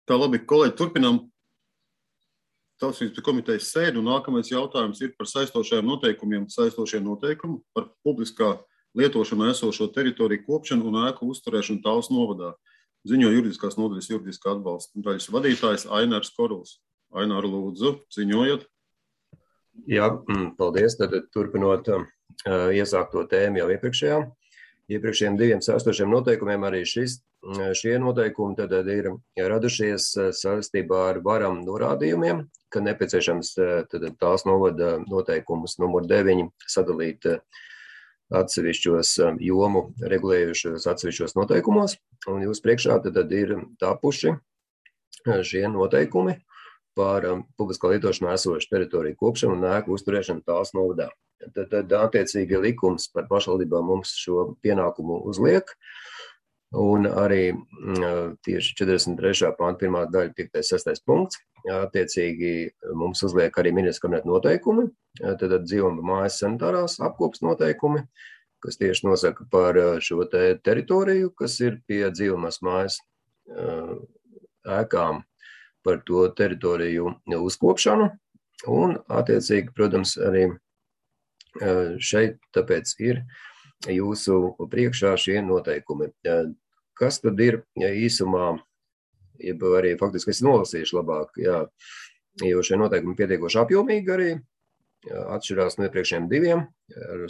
Tā labi, kolēģi, turpinām Tautsības komitejas sēdi, un nākamais jautājums ir par saistošajiem noteikumiem, saistošie noteikumi par publiskā lietošanu esošo teritoriju kopšanu un ēku uzturēšanu Talsu novadā. Ziņo juridiskās nodaļas juridiskā atbalsta daļas vadītājs Ainārs Koruls. Ainār, lūdzu, ziņojat. Jā, paldies. Tad turpinot iesākto tēmu jau iepriekšējiem diviem saistošiem noteikumiem, arī šie noteikumi tad ir radušies saistībā ar varam norādījumiem, ka nepieciešams Talsu novada noteikumus numur 9 sadalīt atsevišķos jomu regulējušos atsevišķos noteikumos, un jūs priekšā tad ir tapuši šie noteikumi par publiskā lietošanā esošu teritoriju kopšanu un ēku uzturēšanu Talsu novadā. Tad attiecīgi likums par pašvaldībām mums šo pienākumu uzliek, un arī tieši 43. panta 1. daļa 5. 6. punkts. Attiecīgi mums uzliek arī ministra kabineta noteikumi, tad dzīvuma mājas sanitārās apkopas noteikumi, kas tieši nosaka par šo teritoriju, kas ir pie dzīvumās mājas ēkām, par to teritoriju uzkopšanu, un attiecīgi, protams, arī šeit tāpēc ir jūsu priekšā šie noteikumi. Kas tad ir īsumā, jeb arī faktiski es nolasīšu labāk, jā, jo šie noteikumi pietiekoši apjomīgi arī atšķirās no iepriekšējiem diviem ar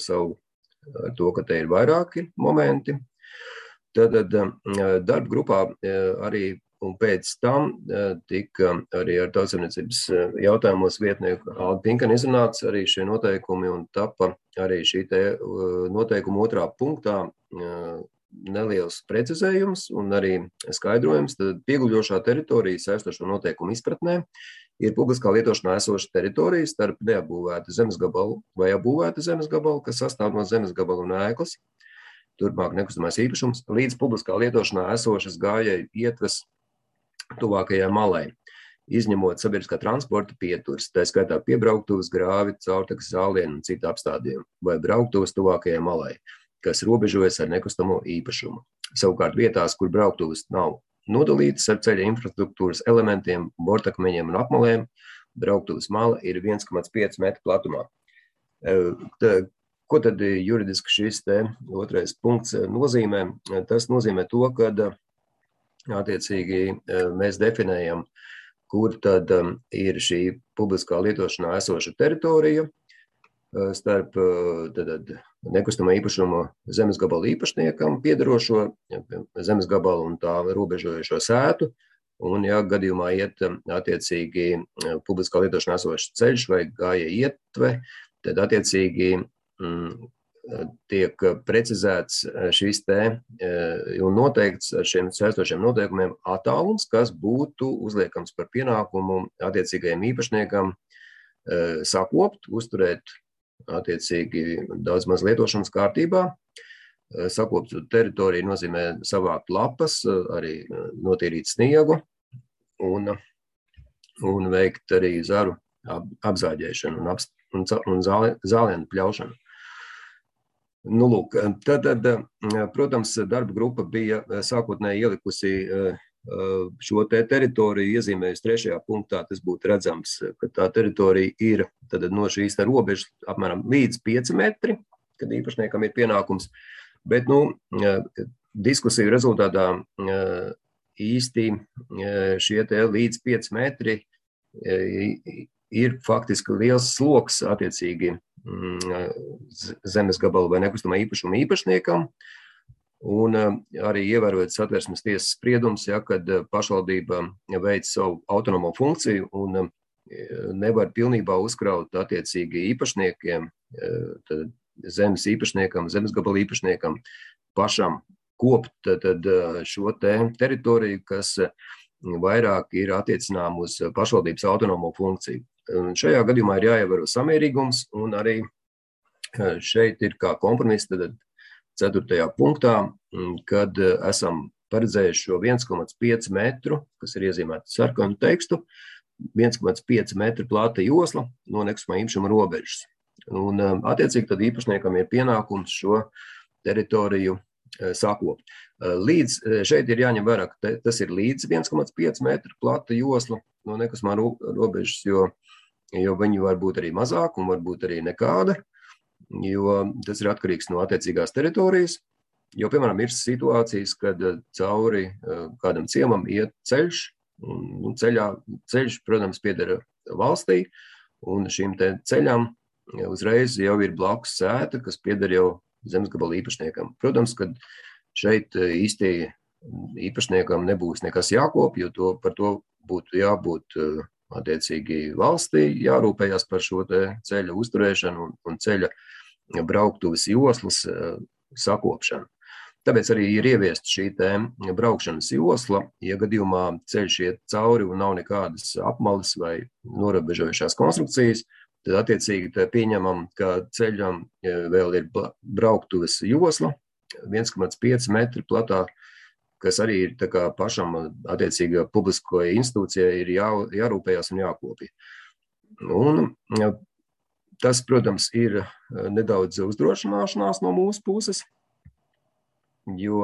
to, ka te ir vairāki momenti. Tad darba grupā arī un pēc tam tika arī ar tautsaimniecības jautājumos vietnieku Alda Pinkana izrunāts arī šie noteikumi un tapa arī šī te noteikuma 2. punktā neliels precizējums un arī skaidrojums. Tad pieguļošā teritorija saistošo noteikumu izpratnē ir publiskā lietošanā esoša teritorija starp neapbūvētu zemes gabalu vai apbūvētu zemes gabalu, kas sastāv no zemes gabalu un ēklas, turpmāk nekustamais īpašums, līdz publiskā lietošanā esošas gājēju ietves tuvākajai malai, izņemot sabiedriskā transporta pieturas, tā skaitā piebrauktuves, grāvi, caurtekas zālienu un citu apstādījumu, vai brauktuves tuvākajai malai, kas robežojas ar nekustamo īpašumu. Savukārt vietās, kur brauktuves nav nodalītas ar ceļa infrastruktūras elementiem, bortakmeņiem un apmalēm, brauktuves mala ir 1,5 metru platumā. Ko tad juridiski šis te 2. punkts nozīmē? Tas nozīmē to, ka attiecīgi mēs definējam, kur tad ir šī publiskā lietošanā esoša teritorija starp nekustamā īpašuma zemes gabalu īpašniekam piederošo zemes gabalu un tā robežojošo sētu, un ja gadījumā iet attiecīgi publiskā lietošanā esošs ceļš vai gājēju ietve, tad attiecīgi tiek precizēts šis te un noteikts ar šiem saistošiem noteikumiem attālums, kas būtu uzliekams par pienākumu attiecīgajiem īpašniekam sakopt, uzturēt attiecīgi daudz maz lietošanas kārtībā. Sakopt teritoriju nozīmē savākt lapas, arī notīrīt sniegu un veikt arī zaru apzāģēšanu un zālienu pļaušanu. Nu, lūk, tad, protams, darba grupa bija sākotnēji ielikusi šo teritoriju, iezīmējusi 3. punktā, tas būtu redzams, ka tā teritorija ir tad no šīs robežas apmēram līdz 5 metri, kad īpašniekam ir pienākums, bet, diskusiju rezultātā īsti šie līdz 5 metri ir faktiski liels sloks attiecīgi zemes gabalu vai nekustamā īpašuma īpašniekam, un arī ievērojot Satversmes tiesas spriedums, kad pašvaldība veic savu autonomo funkciju un nevar pilnībā uzkraut attiecīgi īpašniekiem, zemes īpašniekam, zemes gabalu īpašniekam pašam kopt tad šo teritoriju, kas vairāk ir attiecinām uz pašvaldības autonomo funkciju. Un šajā gadījumā ir jāievēro samērīgums, un arī šeit ir kā kompromiss tad 4. punktā, kad esam paredzējuši šo 1,5 metru, kas ir iezīmēta sarkanu tekstu, 1,5 metru plata josla no nekustamā īpašuma robežas. Un attiecīgi tad īpašniekam ir pienākums šo teritoriju sakopt. Šeit ir jāņem vērā, ka tas ir līdz 1,5 metru plata josla no nekustamā robežas, jo viņi var būt arī mazāk un var būt arī nekāda, jo tas ir atkarīgs no attiecīgās teritorijas. Jo, piemēram, ir situācijas, kad cauri kādam ciemam iet ceļš, un ceļš, protams, pieder valstī, un šīm te ceļām uzreiz jau ir blakus sēta, kas pieder jau zemesgabala īpašniekam. Protams, ka šeit īsti īpašniekam nebūs nekas jākop, jo par to būtu jābūt attiecīgi valstī, jārūpējās par šo te ceļa uzturēšanu un ceļa brauktuves joslas sakopšanu. Tāpēc arī ir ieviesta šī te braukšanas josla, ja gadījumā ceļš iet cauri un nav nekādas apmales vai norobežojušās konstrukcijas, tad attiecīgi pieņemam, ka ceļam vēl ir brauktuves josla, 1,5 metri platā, kas arī ir tā kā pašam attiecīgā publiskoja institūcijai ir jārūpējās un jākopja. Un tas, protams, ir nedaudz uzdrošināšanās no mūsu puses, jo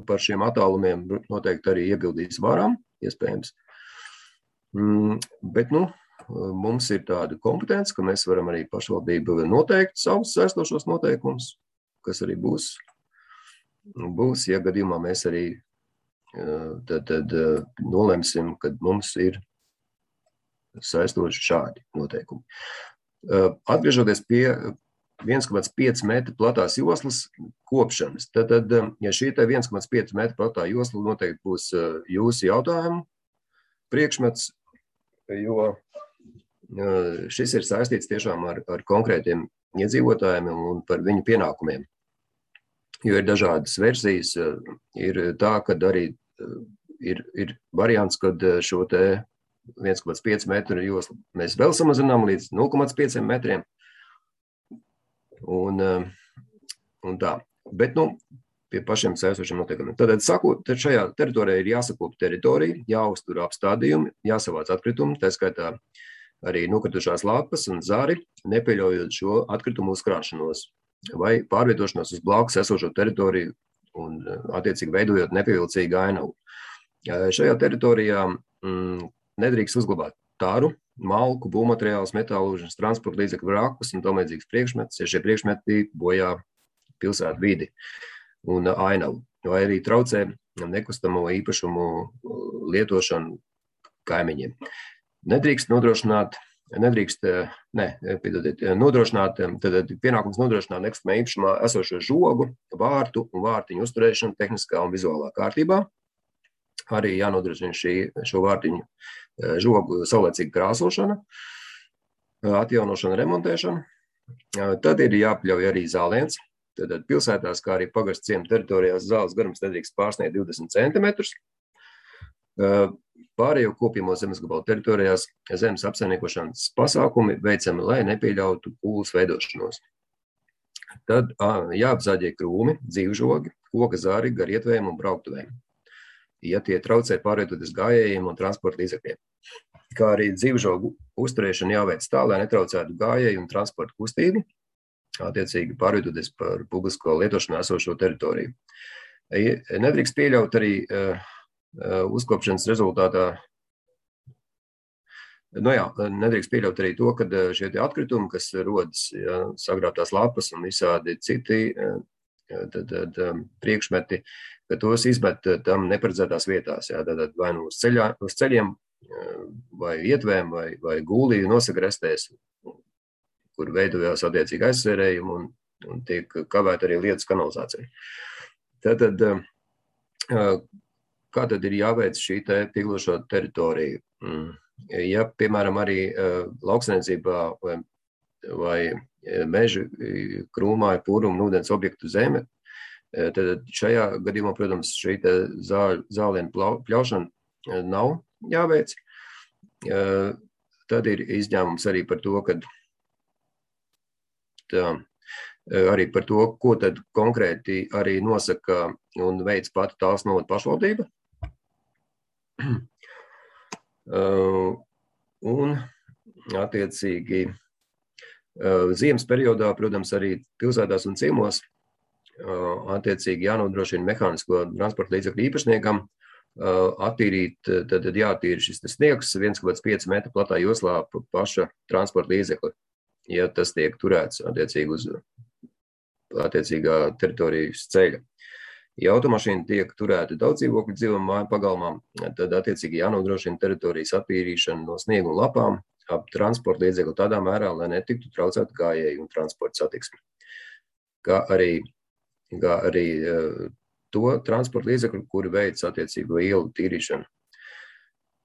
par šiem attālumiem noteikti arī iebildīs varam, iespējams. Bet, mums ir tāda kompetence, ka mēs varam arī pašvaldību noteikt savus saistošos noteikumus, kas arī būs, ja gadījumā mēs arī tad nolemsim, kad mums ir saistoši šādi noteikumi. Atgriežoties pie 1,5 metru platās joslas kopšanas, tad ja šī 1,5 metru platā josla noteikti būs jūsu jautājumu priekšmets, jo šis ir saistīts tiešām ar konkrētiem iedzīvotājiem un par viņu pienākumiem. Jo ir dažādas versijas, ir tā, kad arī ir variants, kad šo te 1,5 metru joslu mēs vēl samazinām līdz 0,5 metriem. Un tā. Bet, pie pašiem saistošiem noteikumiem. Tad šajā teritorijā ir jāsakop teritorija, jāuztur apstādījumi, jāsavāc atkritumi, tā skaitā arī nokritušās lapas un zari, nepieļaujot šo atkritumu uzkrāšanos vai pārvietošanos uz blakus esošo teritoriju un attiecīgi veidojot nepievilcīgu ainavu. Šajā teritorijā nedrīkst uzglabāt tāru, malku, būvmateriālus, metālūžas, transporta līdzekļu vrakus un tamlīdzīgas priekšmetus, ja šie priekšmeti bojā pilsētu vidi un ainavu, vai arī traucē nekustamo īpašumu lietošanu kaimiņiem. Tad pienākums nodrošināt nekustamā īpašumā esošo žogu, vārtu un vārtiņu uzturēšanu tehniskā un vizuālā kārtībā. Arī jānodrošina šo vārtiņu žogu saulēcīga krāsošana, atjaunošana, remontēšana. Tad ir jāpļauj arī zāliens. Tad pilsētās, kā arī pagastu ciemu teritorijās, zāles garums nedrīkst pārsniegt 20 centimetrus. Pārējo kopjamo zemesgabalu teritorijās zemes apsaimniekošanas pasākumi veicami, lai nepieļautu pūles veidošanos. Tad jāapzaļie krūmi, dzīvžogi, koka zari, garietvējiem un brauktuvēm, ja tie traucē pārvietoties gājējiem un transporta līdzekļiem. Kā arī dzīvžogu uzturēšana jāveic tā, lai netraucētu gājēju un transporta kustību, attiecīgi pārvietoties par publisko lietošanā esošo teritoriju. Nedrīkst pieļaut arī uzkopšanas rezultātā, nedrīkst pieļaut arī to, ka šie atkritumi, kas rodas, sagrābtās lapas un visādi citi priekšmeti, ka tos izmet tam neparedzētās vietās, tātad vai uz ceļiem, vai ietvēm, vai gūlī nosagrestēs, kur veidojās attiecīgi aizsvērējumi un tiek kavēt arī lietas kanalizācija. Tātad, kā tad ir jāveic šī tīklošo teritoriju? Ja, piemēram, arī lauksaimniecībā vai meža krūmā ir pūruma un ūdens objektu zeme, tad šajā gadījumā, protams, šī zālienu pļaušana nav jāveic. Tad ir izņēmums arī par to, arī par to, ko tad konkrēti arī nosaka un veic pati Talsu novada pašvaldība. Un attiecīgi ziemas periodā, protams, arī pilsētās un ciemos attiecīgi jānodrošina mehānisko transporta līdzekļu īpašniekam attīrīt, tad jātīra šis sniegs 1,5 metru platā joslā paša transporta līdzekļa, ja tas tiek turēts attiecīgi uz attiecīgā teritorijas ceļa. Ja automašīna tiek turēta daudz dzīvokļu dzīvojamā māju pagalmā, tad attiecīgi jānodrošina teritorijas attīrīšana no sniega un lapām ap transporta līdzekļu tādā mērā, lai netiktu traucēta gājēju un transporta satiksme. Kā arī to transporta līdzekļu, kuri veic attiecīgo ielu tīrīšanu.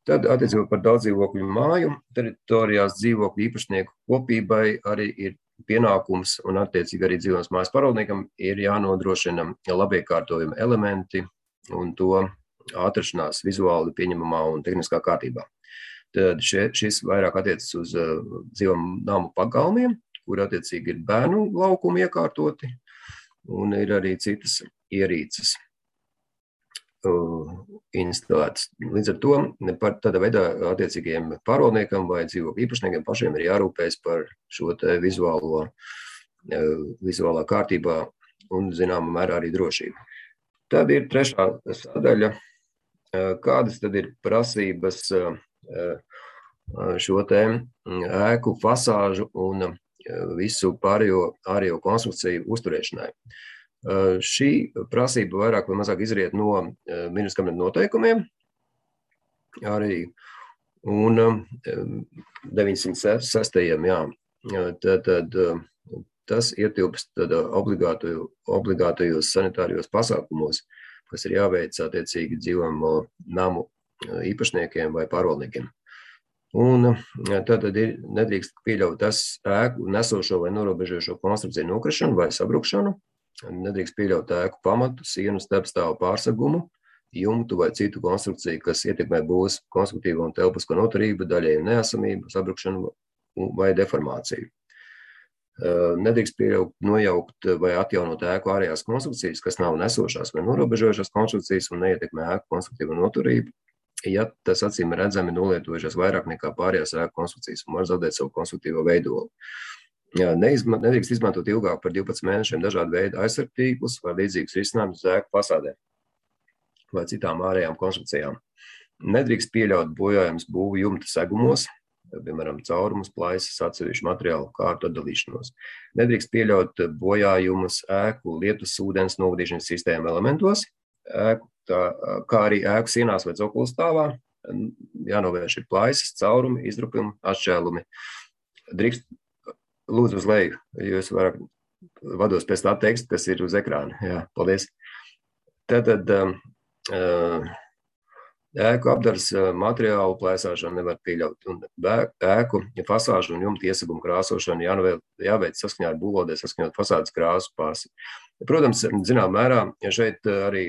Tad attiecībā par daudzdzīvokļu māju teritorijās dzīvokļu īpašnieku kopībai arī ir pienākums un attiecīgi arī dzīvojamās mājas pārvaldniekam ir jānodrošina labiekārtojuma elementi un to atrašanās vizuāli pieņemamā un tehniskā kārtībā. Tad šis vairāk attiecas uz dzīvojamu namu pagalmiem, kur attiecīgi ir bērnu laukumi iekārtoti un ir arī citas ierīces instalētas. Līdz ar to par tādā veidā attiecīgiem pārvaldniekam vai dzīvokļu īpašniekiem pašiem ir jārūpējas par šo te vizuālā kārtībā un zināmā mērā arī drošību. Tad ir trešā sadaļa, kādas tad ir prasības šo te ēku fasāžu un visu pārējo konstrukciju uzturēšanai. Šī prasība vairāk vai mazāk izriet no ministra kabineta noteikumiem arī un 906. Jā. Tad tas ietilpst obligātajos sanitārijos pasākumos, kas ir jāveic attiecīgi dzīvojamo namu īpašniekiem vai pārvaldniekiem. Un tad nedrīkst pieļaut tas ēku nesošo vai norobežošo konstrukciju nokrišanu vai sabrukšanu, nedrīkst pieļaut ēku pamatu, sienu, starpstāvu pārsegumu, jumtu vai citu konstrukciju, kas ietekmē būvs konstruktīvo un telpisko noturību, daļēju neesamību, sabrukšanu vai deformāciju. Nedrīkst pieļaut, nojaukt vai atjaunot ēku ārējās konstrukcijas, kas nav nesošās vai norobežojušās konstrukcijas un neietekmē ēku konstruktīvo noturību, ja tas acīm redzami nolietojušās vairāk nekā pārējās ēku konstrukcijas un var zaudēt savu konstruktīvo veidolu. Nedrīkst izmantot ilgāk par 12 mēnešiem dažādu veidu aizsargtīklus vai līdzīgus risinājumus uz ēku fasādēm vai citām ārējām konstrukcijām. Nedrīkst pieļaut bojājumus būvu jumta segumos, piemēram, caurumus, plaisas, atsevišķu materiālu kārtu atdalīšanos. Nedrīkst pieļaut bojājumus ēku lietus ūdens novadīšanas sistēmu elementos, kā arī ēku sienās vai cokolu stāvā. Jānovērš ir plaisas, caurumi, izdrupumi, atšķēlumi. Drīkst lūdzu uz leju, jo es vairāk vados pēc tā teksta, kas ir uz ekrāna. Jā, paldies. Tātad ēku apdars materiālu plēsāšanu nevar pieļaut. Un ēku fasāžu un jumta iesagumu krāsošanu jāveic saskaņā ar būvvaldē, saskaņot fasādes krāsu pārsi. Protams, zinām mērā, šeit arī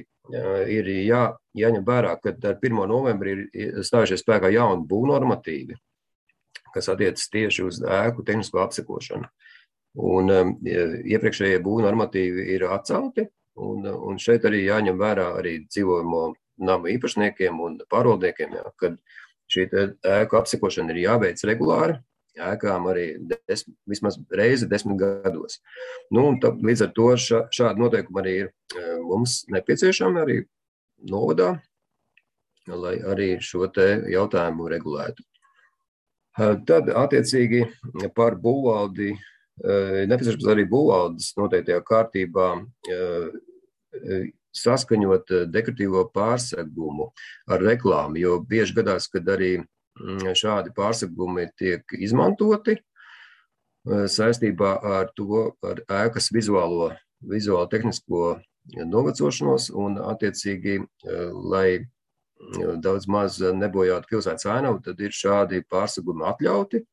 ir jāņem vērā, ka ar 1. novembri ir stājušies spēkā jauni būvnormatīvi, kas attiecas tieši uz ēku tehnisko apsekošanu. Un iepriekšējie būvnormatīvi ir atcelti, un šeit arī jāņem vērā arī dzīvojamo namu īpašniekiem un pārvaldniekiem, kad šī ēku apsekošana ir jāveic regulāri, ēkām arī vismaz reizi 10 gados. Nu, un līdz ar to šādi noteikumi arī ir mums nepieciešami arī novadā, lai arī šo te jautājumu regulētu. Tad attiecīgi par būvvaldi, nepieciešams arī būvvaldes noteiktajā kārtībā saskaņot dekoratīvo pārsegumu ar reklāmu, jo bieži gadās, kad arī šādi pārsegumi tiek izmantoti saistībā ar to, ar ēkas vizuālo tehnisko novecošanos un attiecīgi, lai daudz maz nebojātu pilsētas ainavu, tad ir šādi pārsegumi atļauti,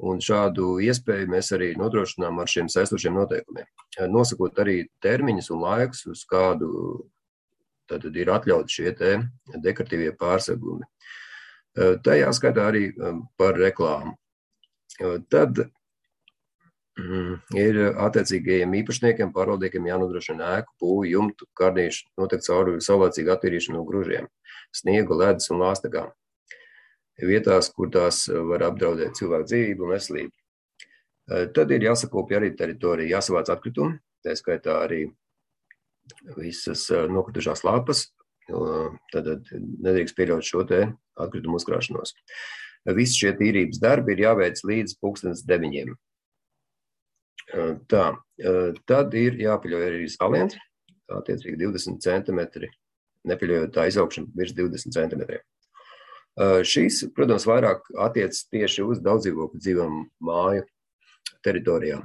un šādu iespēju mēs arī nodrošinām ar šiem saistošiem noteikumiem. Nosakot arī termiņus un laikus, uz kādu tad ir atļauti šie te dekoratīvie pārsegumi. Tajā skatā arī par reklāmu. Tad ir attiecīgajiem īpašniekiem, pārvaldniekiem jānodrošina ēku, būvi, jumtu, karnīšu, noteikti caurvju saulēcīgu attīrīšanu no gružiem, sniegu, ledus un lāstakām. Vietās, kur tās var apdraudēt cilvēku dzīvību un veselību. Tad ir jāsakopja arī teritorija, jāsavāc atkritumi, tā skaitā arī visas nokritušās lapas, tad nedrīkst pieļaut šo te atkritumu uzkrāšanos. Visi šie tīrības darbi ir jāveic līdz 9:00. Tā, tad ir jāpaļauj arī saliens, attiecīgi 20 centimetri, nepaļaujot tā izaugšana virs 20 centimetriem. Šīs, protams, vairāk attiecas tieši uz daudzdzīvokļu dzīvojamo māju teritorijām.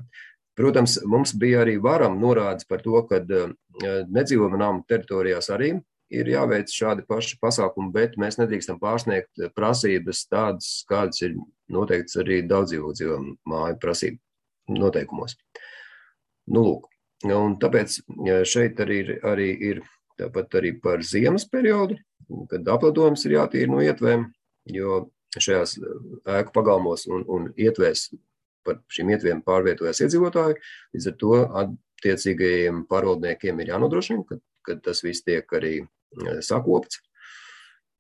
Protams, mums bija arī varam norādes par to, ka nedzīvojamo namu teritorijās arī ir jāveic šādi paši pasākumi, bet mēs nedrīkstam pārsniegt prasības tādas, kādas ir noteikts arī daudzdzīvokļu dzīvojamo māju prasību noteikumos. Nu, lūk. Un tāpēc šeit arī ir tāpat arī par ziemas periodu, kad apledojums ir jātīra no ietvēm, jo šajās ēku pagalmos un ietvēs par šīm ietvēm pārvietojas iedzīvotāji, līdz ar to attiecīgajiem pārvaldniekiem ir jānodrošina, ka tas viss tiek arī sakopts.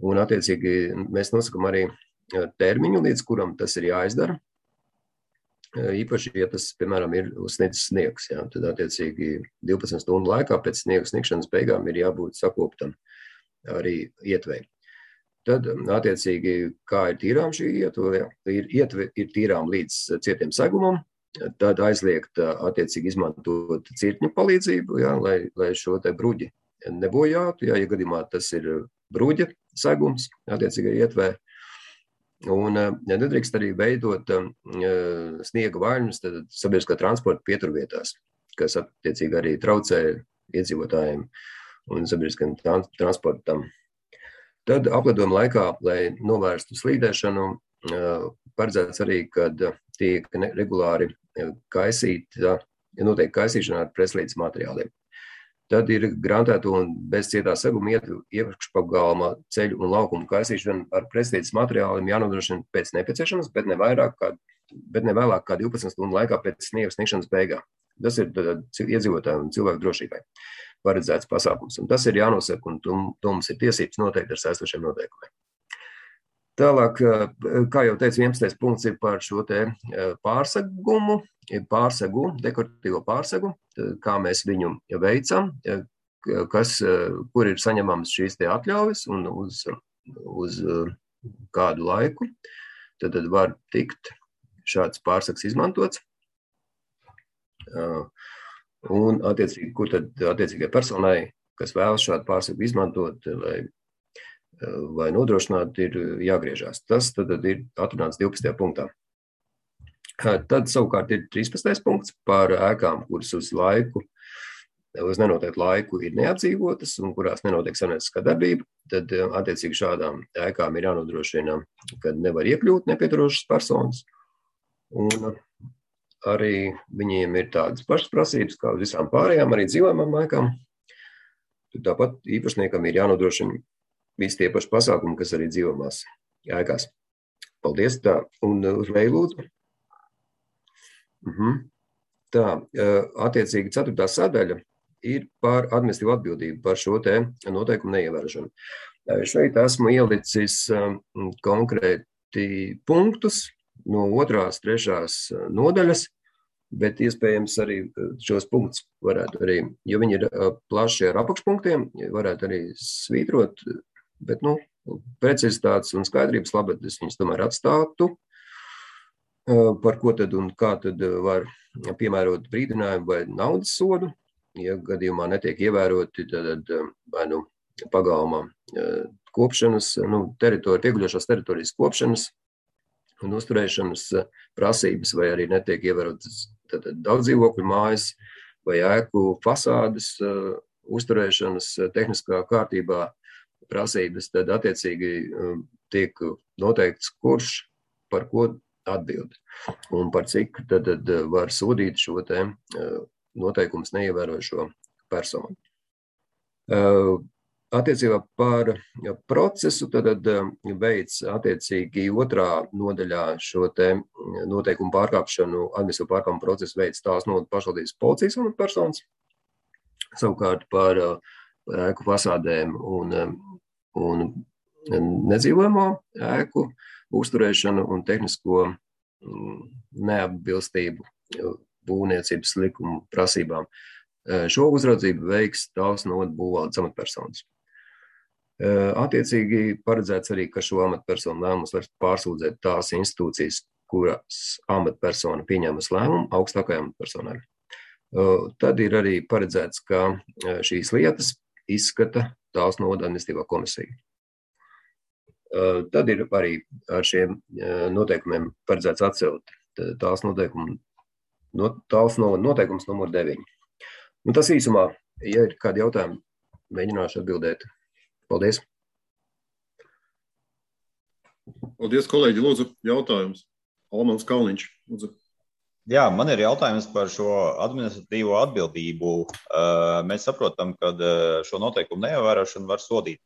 Un attiecīgi mēs nosakam arī termiņu, līdz kuram tas ir jāizdara. Īpaši, ja tas, piemēram, ir uzsniedzis sniegs, jā, tad attiecīgi 12 stundu laikā pēc sniega sniegšanas beigām ir jābūt sakoptam arī ietvei. Tad, attiecīgi, kā ir tīrām šī ietve, ir tīrām līdz cietiem segumam, tad aizliegt attiecīgi izmantot cirkņu palīdzību, jā, lai šo te bruģi nebojātu, jā, ja gadījumā tas ir bruģa segums attiecīgai ietvē. Un nedrīkst arī veidot sniega vaļņus sabiedriskā transporta pieturvietās, kas attiecīgi arī traucē iedzīvotājiem un sabiedriskajam transportam. Tad apledojuma laikā, lai novērstu slīdēšanu, paredzēts arī, kad tiek regulāri kaisīta, noteikti kaisīšana ar pretslīdes materiāliem. Tad ir garantēto un bez cietā seguma iekšpagalma ceļu un laukumu kaisīšana ar pretslīdes materiāliem jānodrošina pēc nepieciešams, bet ne vēlāk kā 12 stundu laikā pēc sniega sniegšanas beigām. Tas ir iedzīvotāju un cilvēku drošībai paredzēts pasākums. Un tas ir jānosaka, un to mums ir tiesības noteikti ar saistošiem noteikumiem. Tālāk, kā jau teicu, 11. punkts ir par šo te pārsegu, dekoratīvo pārsegu, kā mēs viņu veicam, kur ir saņemams šīs te atļaujas un uz kādu laiku, tad var tikt šāds pārsegs izmantots. Un attiecīgi, kur tad attiecīgai personai, kas vēlas šādu pārsegu izmantot, vai nodrošināt, ir jāgriežās. Tas tad ir atrunāts 12. punktā. Tad savukārt ir 13. punkts par ēkām, kuras uz nenoteiktu laiku ir neapdzīvotas un kurās nenotiek saimnieciskā darbība. Tad attiecīgi šādām ēkām ir jānodrošina, ka nevar iekļūt nepieturošas personas. Un arī viņiem ir tādas pašas prasības, kā uz visām pārējām, arī dzīvojamām ēkām. Tāpat īpašniekam ir jānodrošina visi tie paši pasākumi, kas arī dzīvojamās ēkās. Paldies, tā. Un uz leju lūdzu. Tā, attiecīgi 4. sadaļa ir par administratīvu atbildību par šo te noteikumu neievērošanu. Šeit esmu ielicis konkrēti punktus no 2., 3. nodaļas, bet iespējams arī šos punktus varētu arī, jo viņi ir plaši ar apakšpunktiem, varētu arī svītrot, bet, precizitātes un skaidrības labad es viņus tomēr atstātu, par ko tad un kā tad var piemērot brīdinājumu vai naudas sodu. Ja gadījumā netiek ievēroti, tad vai pagalmā kopšanas, pieguļošās teritorijas kopšanas un uzturēšanas prasības, vai arī netiek ievērotas daudz dzīvokļu mājas vai ēku fasādes uzturēšanas tehniskā kārtībā prasības, tad attiecīgi tiek noteikts, kurš par ko atbild un par cik tad var sodīt šo te noteikumus neievērošo personu. Attiecībā par procesu tad veids attiecīgi 2. nodaļā šo te noteikumu pārkāpšanu, administratīvu pārkāpumu procesu veids tās no pašvaldības policijas amatpersonas, savukārt par ēku fasādēm un nedzīvojamo ēku uzturēšanu un tehnisko neatbilstību būvniecības likumu prasībām. Šo uzraudzību veiks Talsu novada būvvaldes amatpersonas. Attiecīgi paredzēts arī, ka šo amatpersonu lēmumus var pārsūdzēt tās institūcijas, kuras amatpersona pieņēmusi lēmumu augstākajai amatpersonai. Tad ir arī paredzēts, ka šīs lietas izskata Talsu novada administratīvā komisija. Tad ir arī ar šiem noteikumiem paredzēts atcelt Talsu novada noteikums numur 9. Tas īsumā, ja ir kādi jautājumi, mēģināšu atbildēt. Paldies. Paldies, kolēģi. Lūdzu, jautājums. Almans Kalniņš. Lūdzu. Jā, man ir jautājums par šo administratīvo atbildību. Mēs saprotam, ka šo noteikumu neievērošanu var sodīt.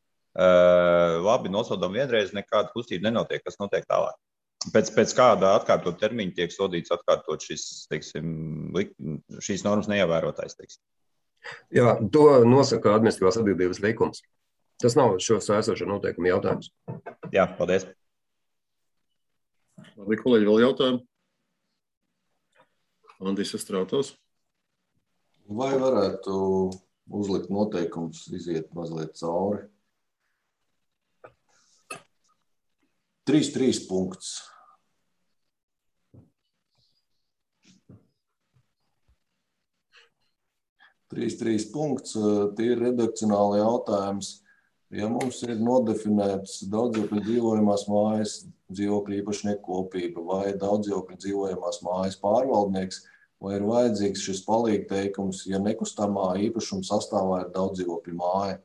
Labi, nosodam vienreiz, nekāda kustība nenotiek, kas notiek tālāk. Pēc kāda atkārtot termiņa tiek sodīts atkārtot šīs normas neievērotais, teiksim. Jā, to nosaka administratīvās atbildības likums. Tas nav šo saistošo noteikumu jautājums. Jā, paldies. Labi, kolēģi, vēl jautājumu? Andis Estrautovs. Vai varētu uzlikt noteikumus, iziet mazliet cauri? 3.3 punkts. 3.3 punkts, tie ir redakcionāli jautājums. Ja mums ir nodefinēts daudzdzīvokļu dzīvojamās mājas dzīvokļu īpašnieku kopība vai daudzdzīvokļu dzīvojamās mājas pārvaldnieks, vai ir vajadzīgs šis palīgteikums, ja nekustamā īpašuma sastāvā ir daudzdzīvokļu māja?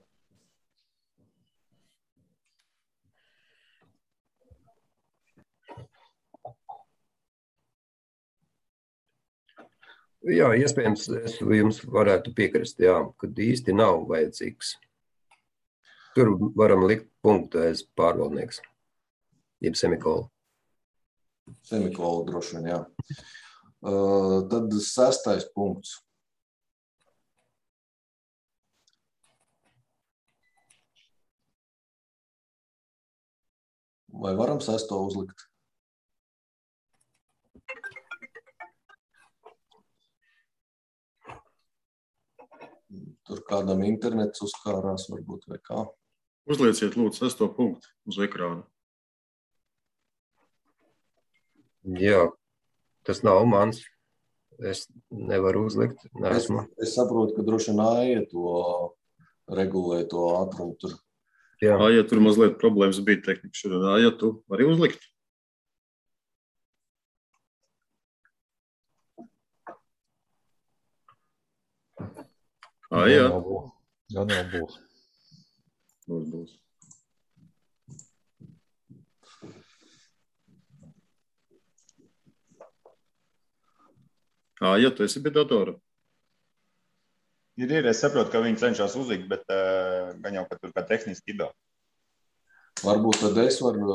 Jā, iespējams, es jums varētu piekrist, jā, kad īsti nav vajadzīgs. Tur varam likt punktu aiz pārvaldnieks, jeb semikolu. Semikolu droši vien, jā. Tad 6. punkts. Vai varam 6. uzlikt? Tur kādam internets uzkārās varbūt vai kā. Uzlieciet, lūdzu, 6. punktu uz ekrāna. Jā, tas nav mans. Es nevaru uzlikt. Es saprotu, ka droši vien Aija to regulē, to ātrumu tur. Jā. Aija, tur mazliet problēmas bija tehnika šodien. Aija, tu vari uzlikt? Aija. Gan jau būs. Būs. Ja tu esi pie datora? Ir, es saprotu, ka viņi cenšas uzlikt, bet gan jau, ka tur kā tehniski ir. Varbūt tad es varu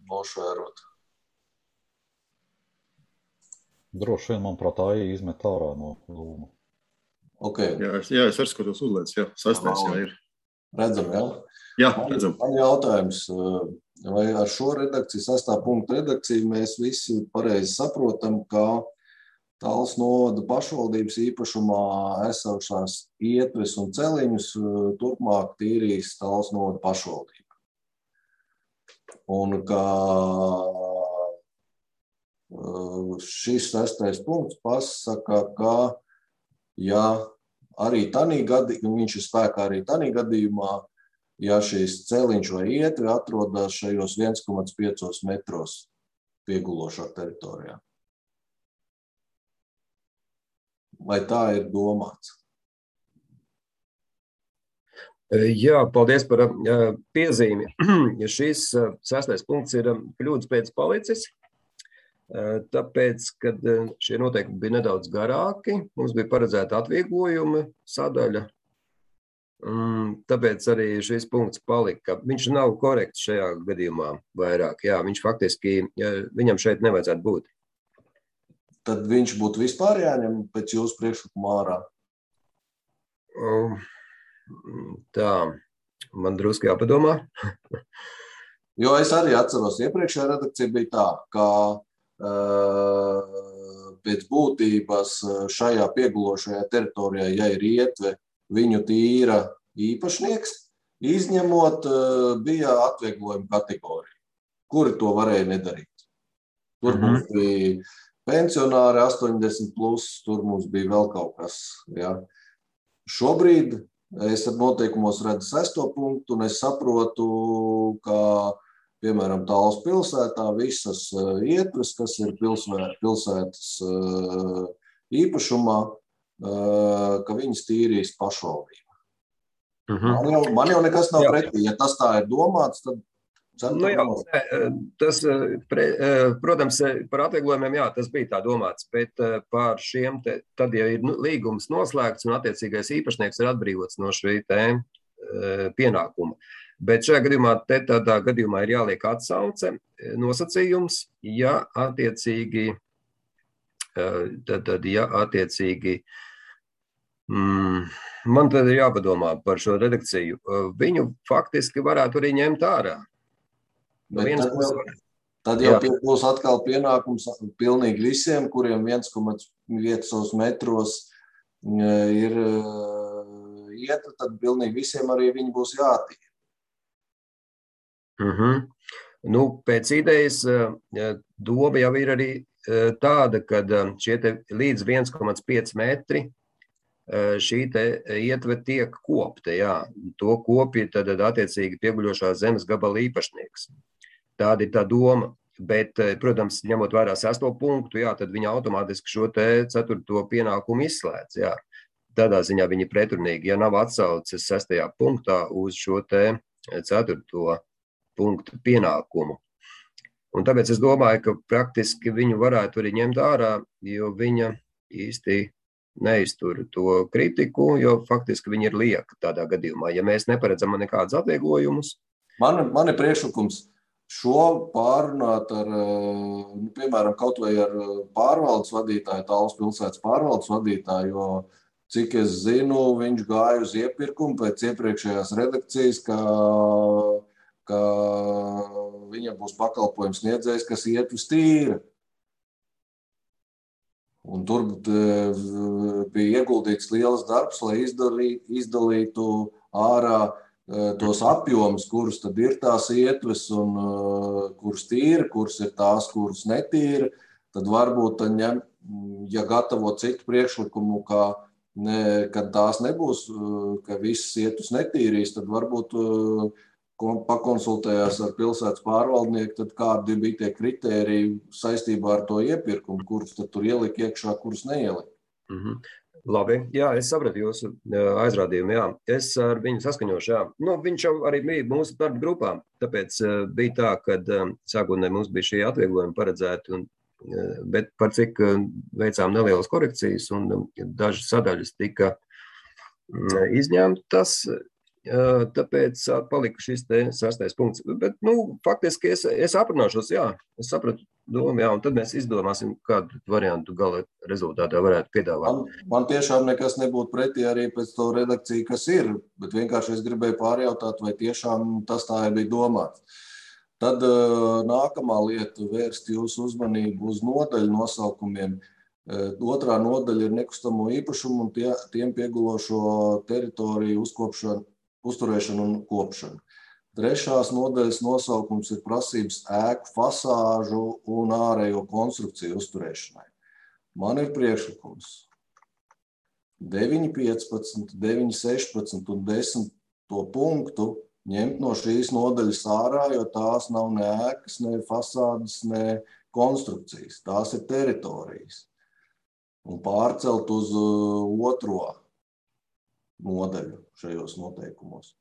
nošērot. Droši vien, manuprāt, Aija izmet ārā no lūma. Okay. Jā, es arī skatos uzliec, jā, 6. jā ir. Redzam, jā? Jā, redzam. Man jautājums, vai ar šo redakciju, 6. punktu redakciju, mēs visi pareizi saprotam, ka Talsu novada pašvaldības īpašumā esošās ietves un celiņus turpmāk tīrīs Talsu novada pašvaldība. Un ka šis 6. punkts pasaka, ka ja arī tanī gadījumā, viņš ir spēkā arī tanī gadījumā, ja šīs celiņš vai ietve atrodas šajos 1,5 metros piegulošā teritorijā. Vai tā ir domāts? Jā, paldies par piezīmi. Šis 6. punkts ir kļūdas pēc palicis. Tāpēc, kad šie noteikumi bija nedaudz garāki, mums bija paredzēta atvieglojuma sadaļa, tāpēc arī šis punkts palika. Viņš nav korekts šajā gadījumā vairāk, jā, viņš faktiski, viņam šeit nevajadzētu būt. Tad viņš būtu vispār jāņem pēc jūsu priekšlikuma ārā? Tā, man drusku jāpadomā. Jo es arī atceros, iepriekšējā redakcija bija tā, ka pēc būtības šajā piegulošajā teritorijā, ja ir ietve, viņu tīra īpašnieks, izņemot bija atvieglojuma kategorija, kuri to varēja nedarīt. Tur mums bija pensionāri 80 plus, tur mums bija vēl kaut kas. Ja. Šobrīd es ar noteikumos redzu 6. punktu, un es saprotu, ka, piemēram, Tallas pilsētā visas ietves, kas ir pilsētas īpašumā, ka viņas tīrīs pašvaldība. Man jau nekas nav pretī. Ja tas tā ir domāts, tad tas, protams, par atvieglojumiem, jā, tas bija tā domāts, bet par šiem, tad, ja ir līgums noslēgts un attiecīgais īpašnieks ir atbrīvots no šī pienākuma. Bet šajā gadījumā, tādā gadījumā ir jāliek atsauce nosacījums, ja attiecīgi, man tad ir jāpadomā par šo redakciju. Viņu faktiski varētu arī ņemt ārā. Tad jau būs atkal pienākums pilnīgi visiem, kuriem 1,5 metros ir ietve, tad pilnīgi visiem arī viņi būs jātīra. Nu, pēc idejas doma jau ir arī tāda, ka šie līdz 1,5 metri šī ietve tiek kopta, jā. To kopja tad attiecīgi pieguļošās zemes gabala īpašnieks. Tāda ir tā doma, bet, protams, ņemot vērā 6. punktu, jā, tad viņi automātiski šo 4. pienākumu izslēdz, jā. Tādā ziņā viņi pretrunīgi, ja nav atsauces 6. punktā uz šo 4. punktu pienākumu. Un tāpēc es domāju, ka praktiski viņu varētu arī ņemt ārā, jo viņa īsti neiztur to kritiku, jo faktiski viņi ir lieka tādā gadījumā. Ja mēs neparedzam nekādus atvieglojumus. Man ir priekšlikums šo pārunāt ar, piemēram, kaut vai ar pārvaldes vadītāju, Tallas pilsētas pārvaldes vadītāju, jo, cik es zinu, viņš gāja uz iepirkumu pēc iepriekšējās redakcijas, ka viņam būs pakalpojums sniedzējs, kas ietves tīra. Un tur bija ieguldīts liels darbs, lai izdalītu ārā tos apjomus, kurus tad ir tās ietves un kuras tīra, kuras ir tās, kuras netīra, tad varbūt, ja gatavo citu priekšlikumu, kad tās nebūs, ka visas ietves netīrīs, tad varbūt pakonsultējās ar pilsētas pārvaldnieku, tad kādi bija tie kritēriji saistībā ar to iepirkumu, kurus tad tur ielika iekšā, kurus neielika. Labi, jā, es sapratu jūsu aizrādījumu, jā. Es ar viņu saskaņošu, jā. Nu, viņš jau arī bija mūsu darba grupā, tāpēc bija tā, kad sākotnēji mums bija šie atvieglojumi paredzēti, bet par cik veicām nelielas korekcijas un dažas sadaļas tika izņemtas, tāpēc palika šis 6. punkts. Bet, nu, faktiski es aprunāšos, jā, es sapratu domu, jā, un tad mēs izdomāsim, kādu variantu gala rezultātā varētu piedāvāt. Man tiešām nekas nebūtu pretī arī pēc to redakciju, kas ir, bet vienkārši es gribēju pārjautāt, vai tiešām tas tā bija domāts. Tad nākamā lieta vērst jūsu uzmanību uz nodaļu nosaukumiem. Otrā nodaļa ir nekustamo īpašumu un tiem piegulošo teritoriju uzturēšanu un kopšanu. Trešās nodaļas nosaukums ir prasības ēku fasāžu un ārējo konstrukciju uzturēšanai. Man ir priekšlikums 9.15, 9.16 un 10. punktu ņemt no šīs nodaļas ārā, jo tās nav ne ēkas, ne fasādes, ne konstrukcijas. Tās ir teritorijas. Un pārcelt uz otro nodaļu šajos noteikumos.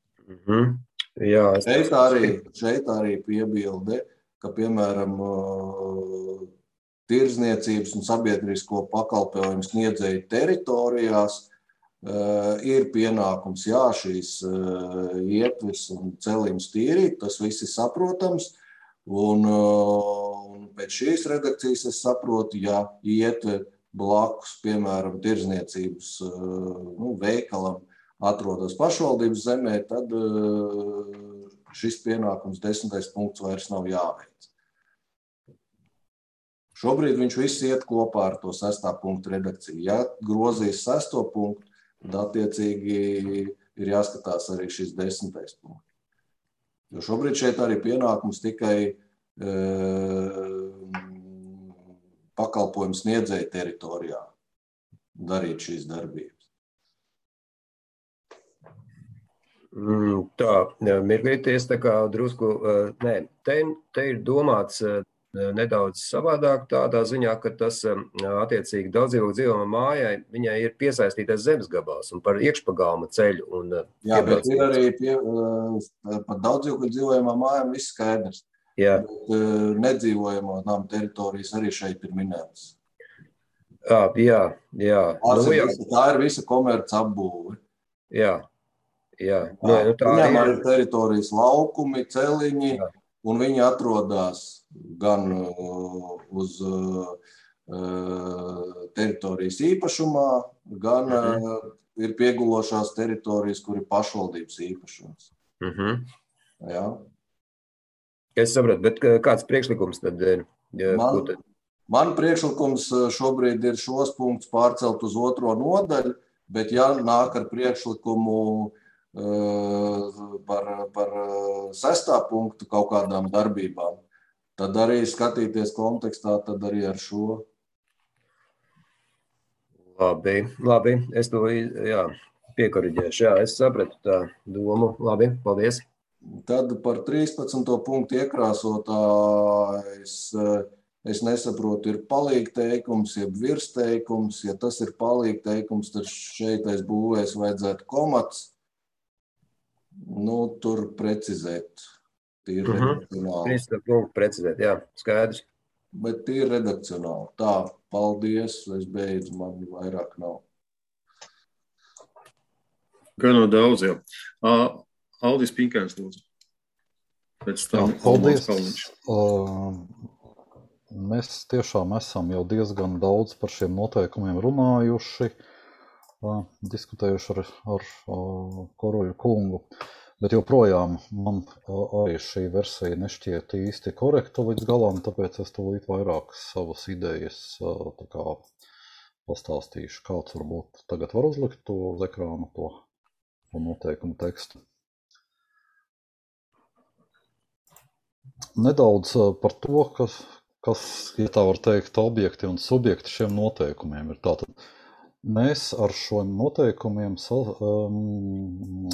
Jā, šeit arī piebilde, ka, piemēram, tirdzniecības un sabiedrisko pakalpojumu sniedzēju teritorijās ir pienākums, jā, šīs ietves un celiņus tīrīt, tas viss ir saprotams, un pēc šīs redakcijas es saprotu, ja ietve blakus, piemēram, tirdzniecības veikalam atrodas pašvaldības zemē, tad šis pienākums 10. punkts vairs nav jāveic. Šobrīd viņš viss iet kopā ar to 6. punktu redakciju. Ja grozīs 6. punktu, tad attiecīgi ir jāskatās arī šis 10. punkts. Jo šobrīd šeit arī pienākums tikai pakalpojums sniedzēja teritorijā darīt šīs darbības. Tā, mirklīties tā kā drusku, te ir domāts nedaudz savādāk tādā ziņā, ka tas attiecīgi daudzdzīvokļu dzīvojamā mājai, viņai ir piesaistītais zemes gabals un par iekšpagalma ceļu. Un, jā, bet ir arī par daudzdzīvokļu dzīvojamām mājām viss skaidrs. Jā. Bet nedzīvojamo namu teritorijas arī šeit ir minētas. Jā. Tā ir visa komerc apbūve. Jā. Viņam arī ir teritorijas laukumi, celiņi, un viņi atrodas gan uz teritorijas īpašumā, gan ir piegulošās teritorijas, kur ir pašvaldības īpašums. Jā. Es sapratu, bet kāds priekšlikums tad ir? Man priekšlikums šobrīd ir šos punktus pārcelt uz 2. nodaļu, bet ja nāk ar priekšlikumu par 6. punktu kaut kādām darbībām, tad arī skatīties kontekstā, tad arī ar šo. Labi, es to piekoriģēšu. Jā, es sapratu tā domu. Labi, paldies. Tad par 13. punktu iekrāsotājs, es nesaprotu, ir palīgteikums, jeb virsteikums. Ja tas ir palīgteikums, tad šeit aiz būvēs vajadzētu komats. Tur precizēt. Tīri redakcionāli. 13. punktu precizēt, jā, skaidrs. Bet tīri redakcionāli. Tā, paldies, es beidzu, man vairāk nav. Gan no daudz, jā. Aldis Pinkēns, lūdzu. Pēc tam paldies. Mēs tiešām esam jau diezgan daudz par šiem noteikumiem runājuši, diskutējuši ar Koroļu kungu, bet joprojām man arī šī versija nešķiet īsti korekta līdz galam, tāpēc es tūlīt vairāk savas idejas pastāstīšu. Kāds varbūt tagad var uzlikt to uz ekrānu, to noteikumu tekstu. Nedaudz par to, kas, ja tā var teikt, objekti un subjekti šiem noteikumiem ir. Tātad mēs ar šo noteikumiem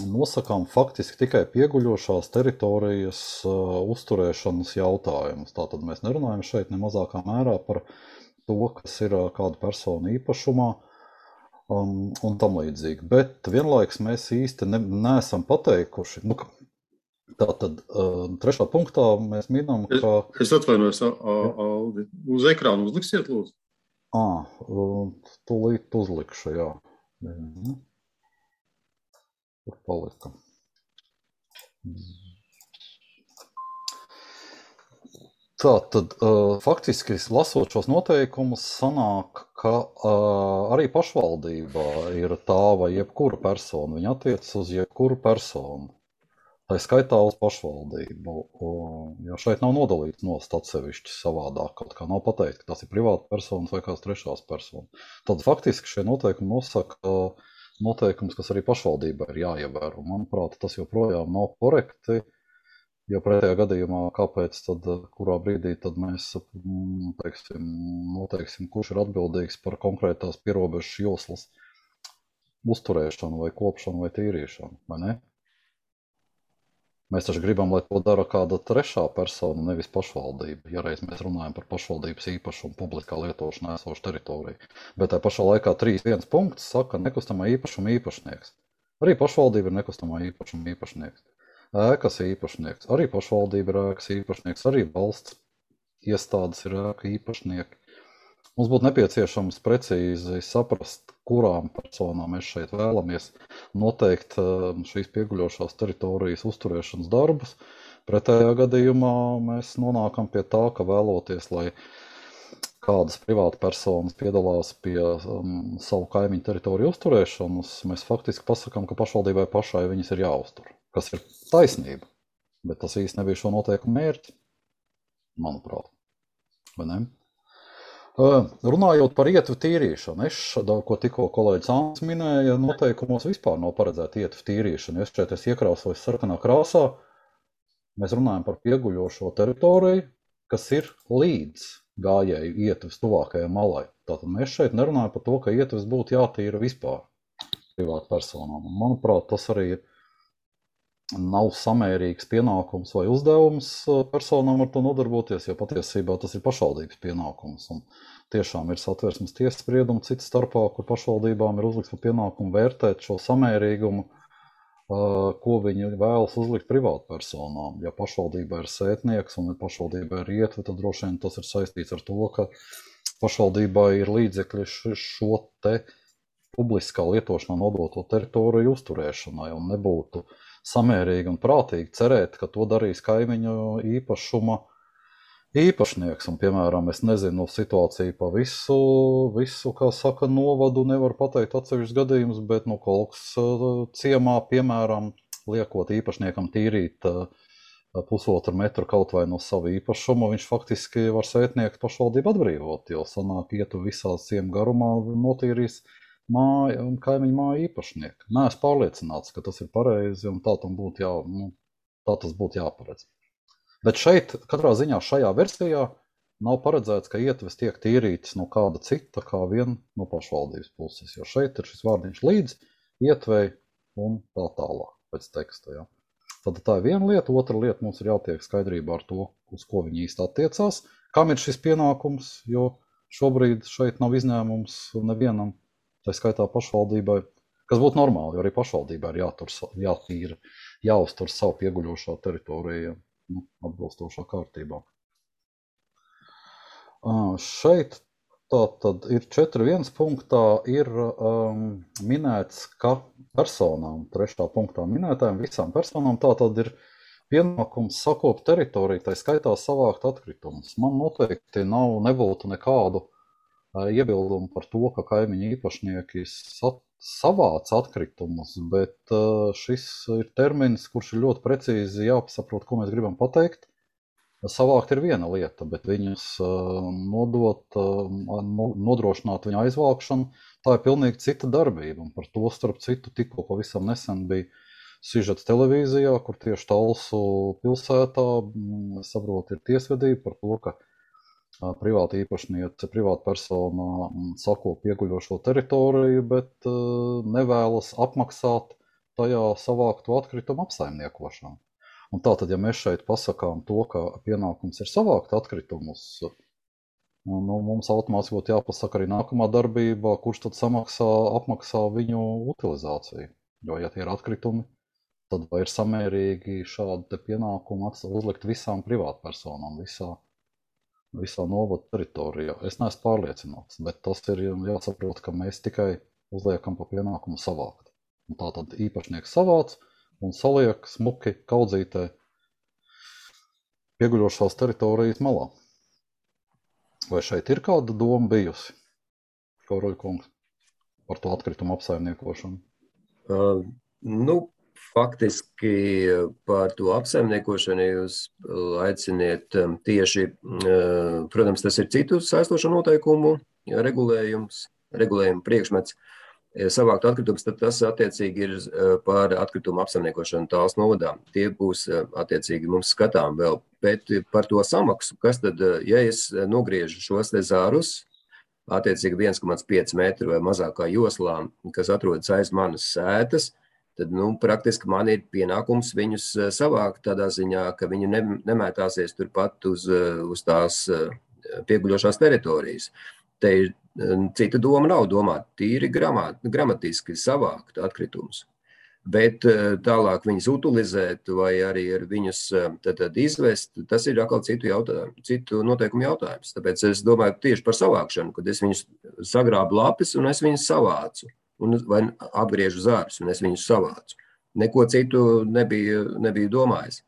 nosakām faktiski tikai pieguļošās teritorijas uzturēšanas jautājumus. Tātad mēs nerunājam šeit ne mazākā mērā par to, kas ir kāda persona īpašumā un tam līdzīgi. Bet vienlaiks mēs īsti neesam pateikuši. Tātad 3. punktā mēs minam, ka... Es atvainojos, Aldi. Uz ekrānu uzliksiet, lūdzu? Tūlīt uzlikšu, jā. Tur palika. Tātad faktiski lasot šos noteikumus sanāk, ka arī pašvaldībā ir tā vai jebkura persona. Viņa attiecas uz jebkuru personu. Tā skaitā uz pašvaldību, jo šeit nav nodalīts nost atsevišķi savādāk, kaut kā nav pateikt, ka tas ir privāta persona vai kāds trešās persona. Tad faktiski šie noteikumi nosaka noteikums, kas arī pašvaldībā ir jāievēro. Manuprāt, tas joprojām nav korekti, jo pretējā gadījumā, kāpēc tad, kurā brīdī tad mēs noteiksim, kurš ir atbildīgs par konkrētās pierobežas joslas uzturēšanu vai kopšanu vai tīrīšanu, vai ne? Mēs taču gribam, lai to dara kāda trešā persona, nevis pašvaldība. Ja reiz mēs runājam par pašvaldības īpašumu publiskā lietošanā esošu teritoriju. Bet tā pašā laikā 3.1 punkts saka nekustamā īpašuma īpašnieks. Arī pašvaldība ir nekustamā īpašuma īpašnieks. Ēkas īpašnieks. Arī pašvaldība ir ēkas īpašnieks. Arī valsts iestādes ir ēka īpašnieki. Mums būtu nepieciešams precīzi saprast, kurām personām mēs šeit vēlamies noteikt šīs pieguļošās teritorijas uzturēšanas darbus. Pretējā gadījumā mēs nonākam pie tā, ka vēloties, lai kādas privāta personas piedalās pie savu kaimiņu teritoriju uzturēšanas, mēs faktiski pasakām, ka pašvaldībai pašai viņas ir jāuztur, kas ir taisnība. Bet tas īsti nebija šo noteikumu mērķi, manuprāt. Vai ne? Runājot par ietvu tīrīšanu, ko tikko kolēģis Ants minēja, noteikumos vispār nav paredzēta ietvu tīrīšana. Ja šeit es iekrāsoju sarkanā krāsā, mēs runājam par pieguļošo teritoriju, kas ir līdz gājēju ietvas tuvākajai malai. Tātad mēs šeit nerunājam par to, ka ietvas būtu jātīra vispār privātu personām. Un, manuprāt, tas arī nav samērīgs pienākums vai uzdevums personām ar to nodarboties, jo patiesībā tas ir pašvaldības pienākums. Un tiešām ir Satversmes tiesas spriedumi cits starpā, kur pašvaldībām ir uzlikts par pienākumu vērtēt šo samērīgumu, ko viņi vēlas uzlikt privātpersonām. Ja pašvaldībā ir sētnieks un pašvaldībā ir ietve, tad droši vien tas ir saistīts ar to, ka pašvaldībā ir līdzekļi šo te publiskā lietošanā nodoto teritoriju uzturēšanai un nebūtu samērīgi un prātīgi cerēt, ka to darīs kaimiņu īpašuma īpašnieks. Un, piemēram, es nezinu situāciju pa visu, kā saka, novadu nevar pateikt atsevišķus gadījumus, bet kaut kas ciemā, piemēram, liekot īpašniekam tīrīt 1,5 metru kaut vai no savu īpašumu, viņš faktiski var sētniekt pašvaldību atbrīvot, jo sanāk ietu visā ciemu garumā notīrīs māja un kaimiņu māja īpašnieki. Nē, es pārliecināts, ka tas ir pareizi un tā tas būtu jāparedz. Bet šeit, katrā ziņā šajā versijā, nav paredzēts, ka ietves tiek tīrītas no kāda cita, kā vien no pašvaldības puses, jo šeit ir šis vārdiņš līdz ietvei un tā tālāk pēc teksta. Ja. Tad tā ir viena lieta, otra lieta mums ir jātiek skaidrībā ar to, uz ko viņi īsti attiecās, kam ir šis pienākums, jo šobrīd šeit nav izņēmums nevienam, tā skaitā pašvaldībai, kas būtu normāli, jo arī pašvaldībai ir jāuztur savu pieguļošā teritoriju atbilstošā kārtībā. Šeit tātad ir 4.1 punktā ir minēts, ka personām, 3. punktā minētājiem, visām personām tātad ir pienākums sakopt teritoriju, tai skaitā savākt atkritumus. Man noteikti nebūtu nekādu iebildumu par to, ka kaimiņu īpašnieki savāc atkritumus, bet šis ir termins, kurš ir ļoti precīzi jāpasaprot, ko mēs gribam pateikt. Savākt ir viena lieta, bet viņus nodrošināt viņu aizvākšanu, tā ir pilnīgi cita darbība. Un par to, starp citu, tikko pavisam nesen bija sižets televīzijā, kur tieši Talsu pilsētā, saprot, ir tiesvedība par to, ka privāta īpašniece, privāta persona sako pieguļošo teritoriju, bet nevēlas apmaksāt tajā savāktu atkritumu apsaimniekošanu. Un tātad, ja mēs šeit pasakām to, ka pienākums ir savākt atkritumus, mums automātiski būtu jāpasaka arī nākamā darbība, kurš tad apmaksā viņu utilizāciju. Jo, ja tie ir atkritumi, tad vai ir samērīgi šādu pienākumu uzlikt visām privātpersonām, visā novada teritorijā. Es neesmu pārliecināts, bet tas ir jāsaprot, ka mēs tikai uzliekam pa pienākumu savākt. Un tā tad īpašnieks savāc un saliek smuki kaudzītē pieguļošās teritorijas malā. Vai šeit ir kāda doma bijusi, Kauroļkungs, par to atkritumu apsaimniekošanu? Faktiski par to apsaimniekošanu jūs aiciniet tieši, protams, tas ir citu saistošo noteikumu regulējumu priekšmets. Savākt atkritumus, tad tas attiecīgi ir par atkritumu apsaimniekošanu Tāls novadā. Tie būs attiecīgi mums skatām vēl. Bet par to samaksu, kas tad, ja es nogriežu šos te zārus, attiecīgi 1,5 metru vai mazākā joslā, kas atrodas aiz manas sētas, tad, praktiski man ir pienākums viņus savākt tādā ziņā, ka viņi nemētāsies turpat uz tās pieguļošās teritorijas. Te ir cita doma nav domāt, tīri gramatiski savākt atkritumus. Bet tālāk viņus utilizēt vai arī ar viņus tad izvest, tas ir atkal citu noteikumu jautājums. Tāpēc es domāju tieši par savākšanu, kad es viņus sagrābu lapis un es viņus savācu. Vai apgriežu zārus, un es viņus savācu. Neko citu nebija domājis.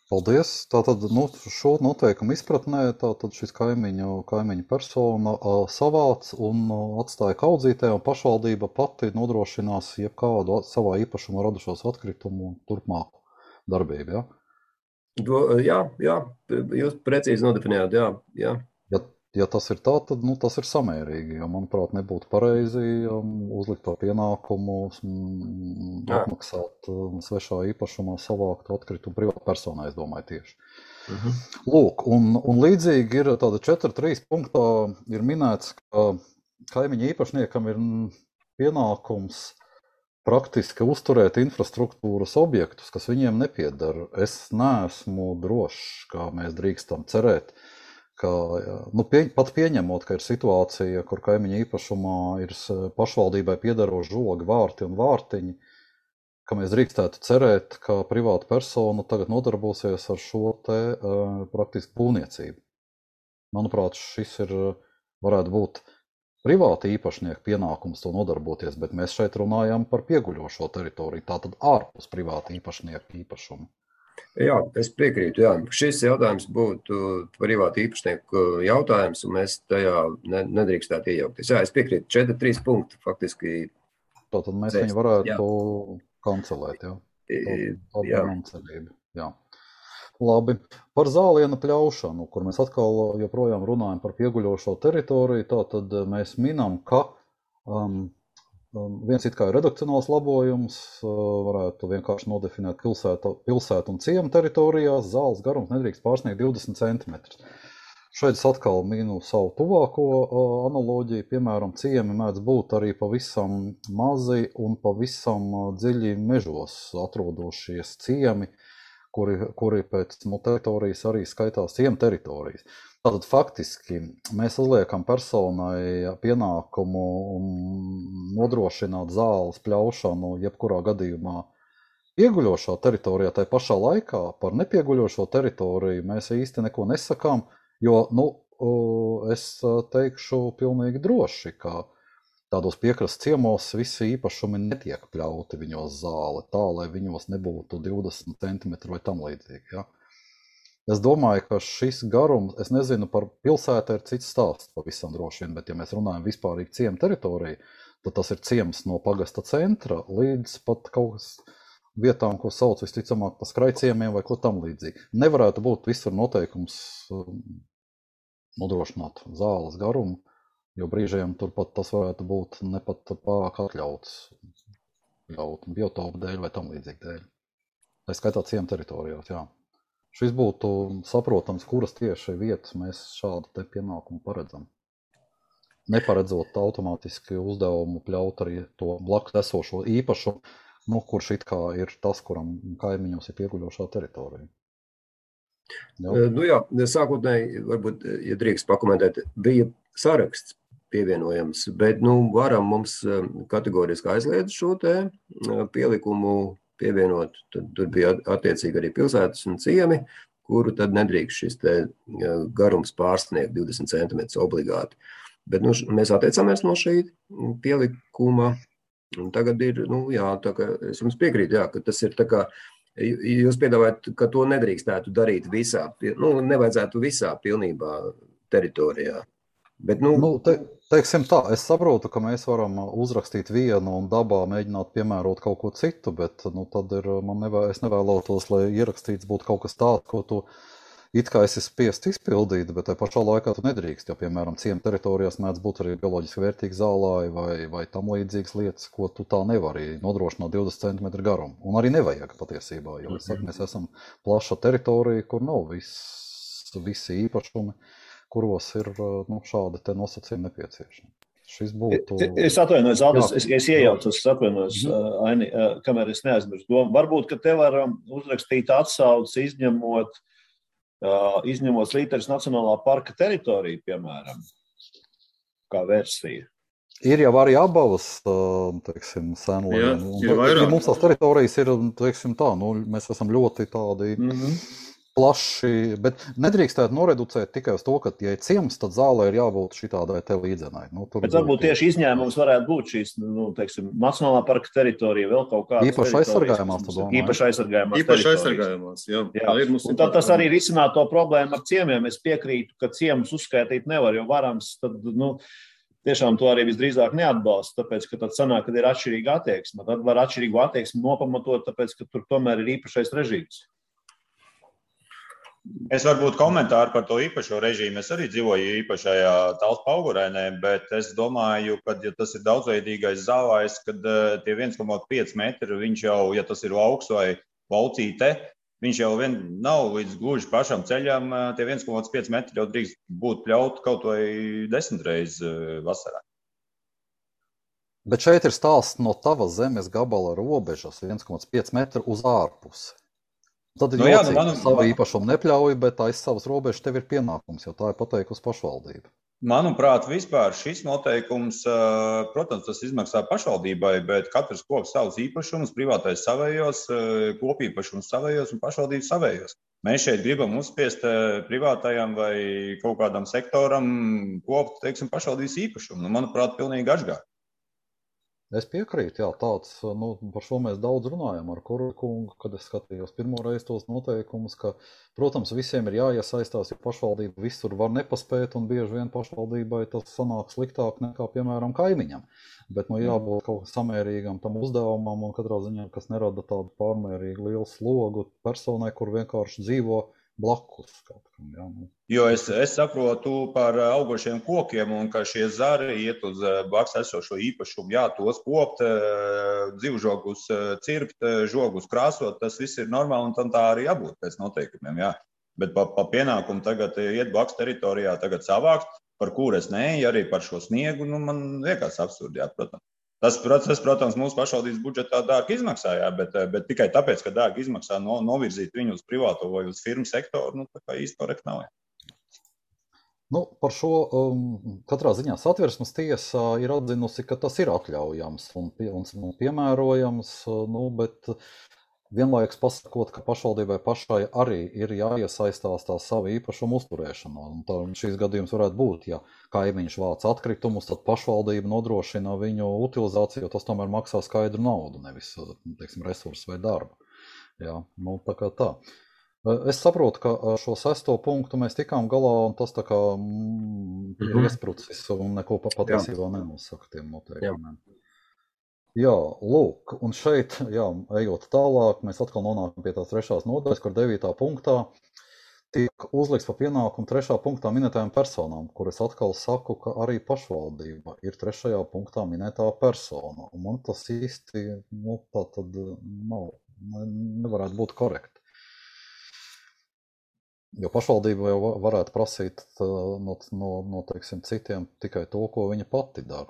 Paldies. Tātad šo noteikumu izpratnē tātad šis kaimiņu persona savāc un atstāja kaudzītē, un pašvaldība pati nodrošinās jebkādu savā īpašumā radušos atkritumu turpmāku darbību, ja? Jā, jūs precīzi nodefinējāt, jā. ja tas ir tā, tad tas ir samērīgi, jo, manuprāt, nebūtu pareizi uzlikt par pienākumu apmaksāt svešā īpašumā savāktu atkritumu privātpersonai, es domāju tieši. Lūk, un līdzīgi ir tāda 4.3 punktā ir minēts, ka kaimiņa īpašniekam ir pienākums praktiski uzturēt infrastruktūras objektus, kas viņiem nepiedara. Es neesmu drošs, kā mēs drīkstam cerēt, ka, pat pieņemot, ka ir situācija, kur kaimiņa īpašumā ir pašvaldībai piedaroši žogi, vārti un vārtiņi, ka mēs drīkstētu cerēt, ka privāta persona tagad nodarbosies ar šo te praktiski būvniecību. Manuprāt, šis varētu būt privāta īpašnieka pienākums to nodarboties, bet mēs šeit runājam par pieguļošo teritoriju, tātad ārpus privāta īpašnieka īpašumu. Jā, es piekrītu, jā. Šis jautājums būtu privāta īpašnieku jautājums, un mēs tajā nedrīkstētu iejaukties. Jā, es piekrītu, 4.3 punkti faktiski. Tātad mēs viņu varētu kancelēt, jā. Tā man cerība, jā. Labi, par zāliena pļaušanu, kur mēs atkal joprojām runājam par pieguļošo teritoriju, tātad mēs minam, ka viens it kā ir redakcionāls labojums, varētu vienkārši nodefinēt pilsētu un ciemu teritorijās, zāles garums nedrīkst pārsniegt 20 cm. Šeit es atkal minu savu tuvāko analoģiju, piemēram, ciemi mēdz būt arī pavisam mazi un pavisam dziļi mežos atrodošies ciemi, kuri pēc teritorijas arī skaitās ciemu teritorijas. Tātad faktiski mēs uzliekam personai pienākumu nodrošināt zāles pļaušanu jebkurā gadījumā pieguļošā teritorijā, tai pašā laikā par nepieguļošo teritoriju mēs īsti neko nesakām, jo, es teikšu pilnīgi droši, ka tādos piekrastes ciemos visi īpašumi netiek pļauti viņos zāle, tā, lai viņos nebūtu 20 cm vai tam līdzīgi, ja. Es domāju, ka šis garums, es nezinu, par pilsētu ir cits stāsts pavisam droši vien, bet ja mēs runājam vispārīgi ciemu teritoriju, tad tas ir ciems no pagasta centra līdz pat kaut kas vietām, ko sauc visticamāk pa skraiciemiem vai ko tam līdzīgi. Nevarētu būt visur noteikums nodrošināt zāles garumu, jo brīžiem turpat tas varētu būt nepat pārāk atļauts biotopu dēļ vai tam līdzīgi dēļ. Tā skaitā ciemu teritorijās, jā. Šis būtu saprotams, kuras tieši vietas mēs šādu te pienākumu paredzam. Neparedzot automātiski uzdevumu pļaut arī to blakus esošo īpašumu, kurš it kā ir tas, kuram kaimiņos ir pieguļošā teritorija. Jā, sākotnēji, varbūt, ja drīkst pakomentēt, bija saraksts pievienojams, bet, varam mums kategoriski aizliedz šo te pielikumu pievienot, tad tur bija attiecīgi arī pilsētas un ciemi, kuru tad nedrīkst šis te garums pārsniegt 20 cm obligāti. Bet mēs atteicāmies no šī pielikuma, un tagad ir, tā kā es jums piekrītu, ka tas ir tā kā, jūs piedāvājat, ka to nedrīkstētu darīt visā, nevajadzētu visā pilnībā teritorijā. Bet, teiksim tā, es saprotu, ka mēs varam uzrakstīt vienu un dabā mēģināt piemērot kaut ko citu, bet tad ir, es nevēlētos, lai ierakstīts būtu kaut kas tāds, ko tu it kā esi spiest izpildīt, bet tai pašā laikā tu nedrīkst, jo, piemēram, ciemu teritorijās mēdz būt arī bioloģiski vērtīgi zālāji vai tam līdzīgas lietas, ko tu tā nevari nodrošināt 20 cm garumu. Un arī nevajag patiesībā, jo mēs esam plaša teritorija, kur nav visi īpašumi, kuros ir šādi te nosacījumi nepieciešami. Šis būtu... Es atvainojos, Aldis, es iejaucos, atvainojos, Aini, kamēr es neaizmirstu domu. Varbūt, ka te var uzrakstīt atsauci, izņemot Slīteres Nacionālā parka teritoriju, piemēram, kā versija. Ir jau arī abavas, teiksim, senlēm. Ir vairāk. Mums tās teritorijas ir, teiksim tā, mēs esam ļoti tādi... plaši, bet nedrīkstētu noreducēt tikai uz to, ka, ja ir ciems, tad zālē ir jābūt šitādai te līdzenai. Bet varbūt tieši izņēmums varētu būt šīs, teiksim, Nacionālā parka teritorija, vēl kaut kādas īpaši aizsargājumās, tu domā? Īpaši aizsargājumās, jā. Un tad tas arī risināt to problēmu ar ciemiem. Es piekrītu, ka ciemus uzskaitīt nevar, jo varams, tad, tiešām to arī visdrīzāk neatbalsta, tāpēc, ka tad sanāk, kad ir atšķirīga attieksme. Tad var atšķirīgu attieksmi nopamatot, tāpēc, ka tur tomēr ir īpašais režīms. Es varbūt komentāru par to īpašo režīmu. Es arī dzīvoju īpašajā Talsu Paugurēnē, bet es domāju, ka, ja tas ir daudzveidīgais zāvājs, kad tie 1,5 metri, viņš jau, ja tas ir lauks vai laucīte, viņš jau nav līdz gluži pašam ceļam. Tie 1,5 metri jau drīkst būt pļaut kaut vai 10 reizes vasarā. Bet šeit ir stāsts no tavas zemes gabala robežas 1,5 metru uz ārpusi. Tad ir jocīgi, ka savu īpašumu nepļauj, bet aiz savas robežas tev ir pienākums, jo tā ir pateikusi pašvaldība. Manuprāt, vispār šis noteikums, protams, tas izmaksā pašvaldībai, bet katrs koks savus īpašumus, privātais savējos, kopīpašums savējos un pašvaldības savējos. Mēs šeit gribam uzspiest privātajam vai kaut kādam sektoram kopt, teiksim, pašvaldības īpašumu. Manuprāt, pilnīgi atžgār. Es piekrītu, jā, tāds, par šo mēs daudz runājam ar Kurkungu, kad es skatījos pirmo reizi tos noteikumus, ka, protams, visiem ir jāiesaistās, jo pašvaldība visur var nepaspēt, un bieži vien pašvaldībai tas sanāk sliktāk nekā, piemēram, kaimiņam. Bet, jābūt kaut samērīgam tam uzdevumam, un katrā ziņā, kas nerada tādu pārmērīgi lielu slogu personai, kur vienkārši dzīvo blakus kaut kam, jā. Jo es saprotu par augošiem kokiem un ka šie zari iet uz blakus esošo īpašumu, jā, tos kopt, dzīvžogus cirpt, žogus krāsot, tas viss ir normāli un tam tā arī jābūt pēc noteikumiem, jā. Bet pa pienākumu tagad iet blakus teritorijā tagad savākt, par kur es neeju, arī par šo sniegu, man liekas absurdi, jā, protams. Tas, protams, mūsu pašvaldības budžetā dārgi izmaksā, jā, bet tikai tāpēc, ka dārgi izmaksā novirzīt viņu uz privāto vai uz firmu sektoru, tā kā īsti korekti nav. Par šo katrā ziņā Satversmes tiesa ir atzinusi, ka tas ir atļaujams un piemērojams, bet vienlaikus pasakot, ka pašvaldībai pašai arī ir jāiesaistās tā savu īpašumu uzturēšanā. Un šīs gadījums varētu būt, ja kaimiņš vāc atkritumus, tad pašvaldība nodrošina viņu utilizāciju, jo tas tomēr maksā skaidru naudu, nevis, teiksim, resursu vai darbu. Jā, tā kā tā. Es saprotu, ka šo 6. punktu mēs tikām galā, un tas tā kā ir iesprucis un neko patiesībā nenosaka tiem noteikumiem. Jā, lūk, un šeit, ejot tālāk, mēs atkal nonākam pie tās 3. nodaļas, kur 9. punktā tiek uzlikts par pienākumu 3. punktā minētajām personām, kur es atkal saku, ka arī pašvaldība ir 3. punktā minētā persona. Un man tas īsti, tā tad nevarētu būt korekti. Jo pašvaldība jau varētu prasīt no teiksim, citiem tikai to, ko viņa pati dara.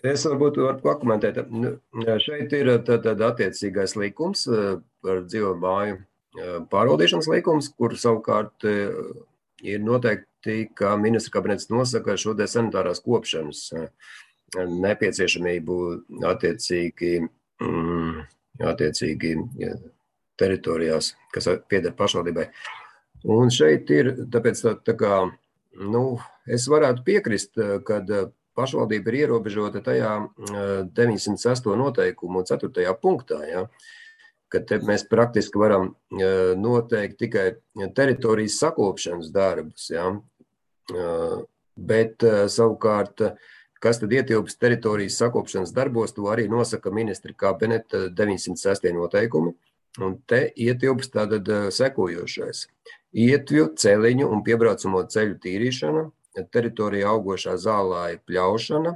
Es varbūt varu pakomentēt. Šeit ir tad attiecīgais likums par dzīvo māju pārvaldīšanas likums, kur savukārt ir noteikti, ka ministra kabinets nosaka šo te sanitārās kopšanas nepieciešamību attiecīgi teritorijās, kas pieder pašvaldībai. Un šeit ir, tāpēc tā kā, es varētu piekrist, kad pašvaldība ir ierobežota tajā 906. noteikumu 4. punktā, ja, kad mēs praktiski varam noteikt tikai teritorijas sakopšanas darbus, ja, bet savukārt, kas tad ietilpst teritorijas sakopšanas darbos, to arī nosaka ministra kabineta 906. noteikumi, un te ietilpst tātad sekojošais. Ietvju, celiņu un piebraucamo ceļu tīrīšana, teritorijā augošā zālāja pļaušana,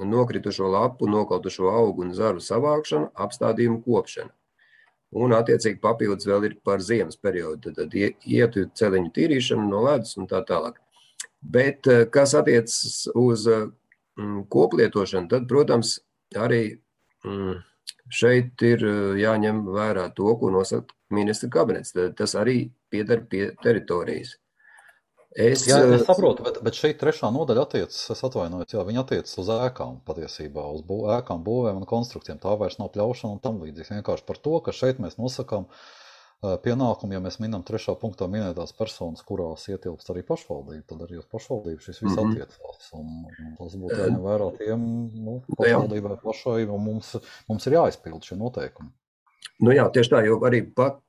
nokritušo lapu, nokautušo augu un zaru savākšana, apstādījumu kopšana. Un attiecīgi papildus vēl ir par ziemas periodu, tad ietu celiņu tīrīšanu no ledus un tā tālāk. Bet, kas attiecas uz koplietošanu, tad, protams, arī šeit ir jāņem vērā to, ko nosaka ministra kabinets. Tas arī pieder pie teritorijas. Es saprotu, bet šeit 3. nodaļa attiecas, es atvainojos, viņa attiecas uz ēkām patiesībā, uz ēkām, būvēm un konstrukcijiem. Tā vairs nav pļaušana un tam līdzīgs. Vienkārši par to, ka šeit mēs nosakām pienākumu, ja mēs minam 3. punktā minētās personas, kurās ietilpst arī pašvaldība, tad arī uz pašvaldību šis viss attiecās. Un tas būtu jāņem vērā tiem pašvaldībai pašai, un mums ir jāizpild šie noteikumi. Jā, tieši tā, jo arī pat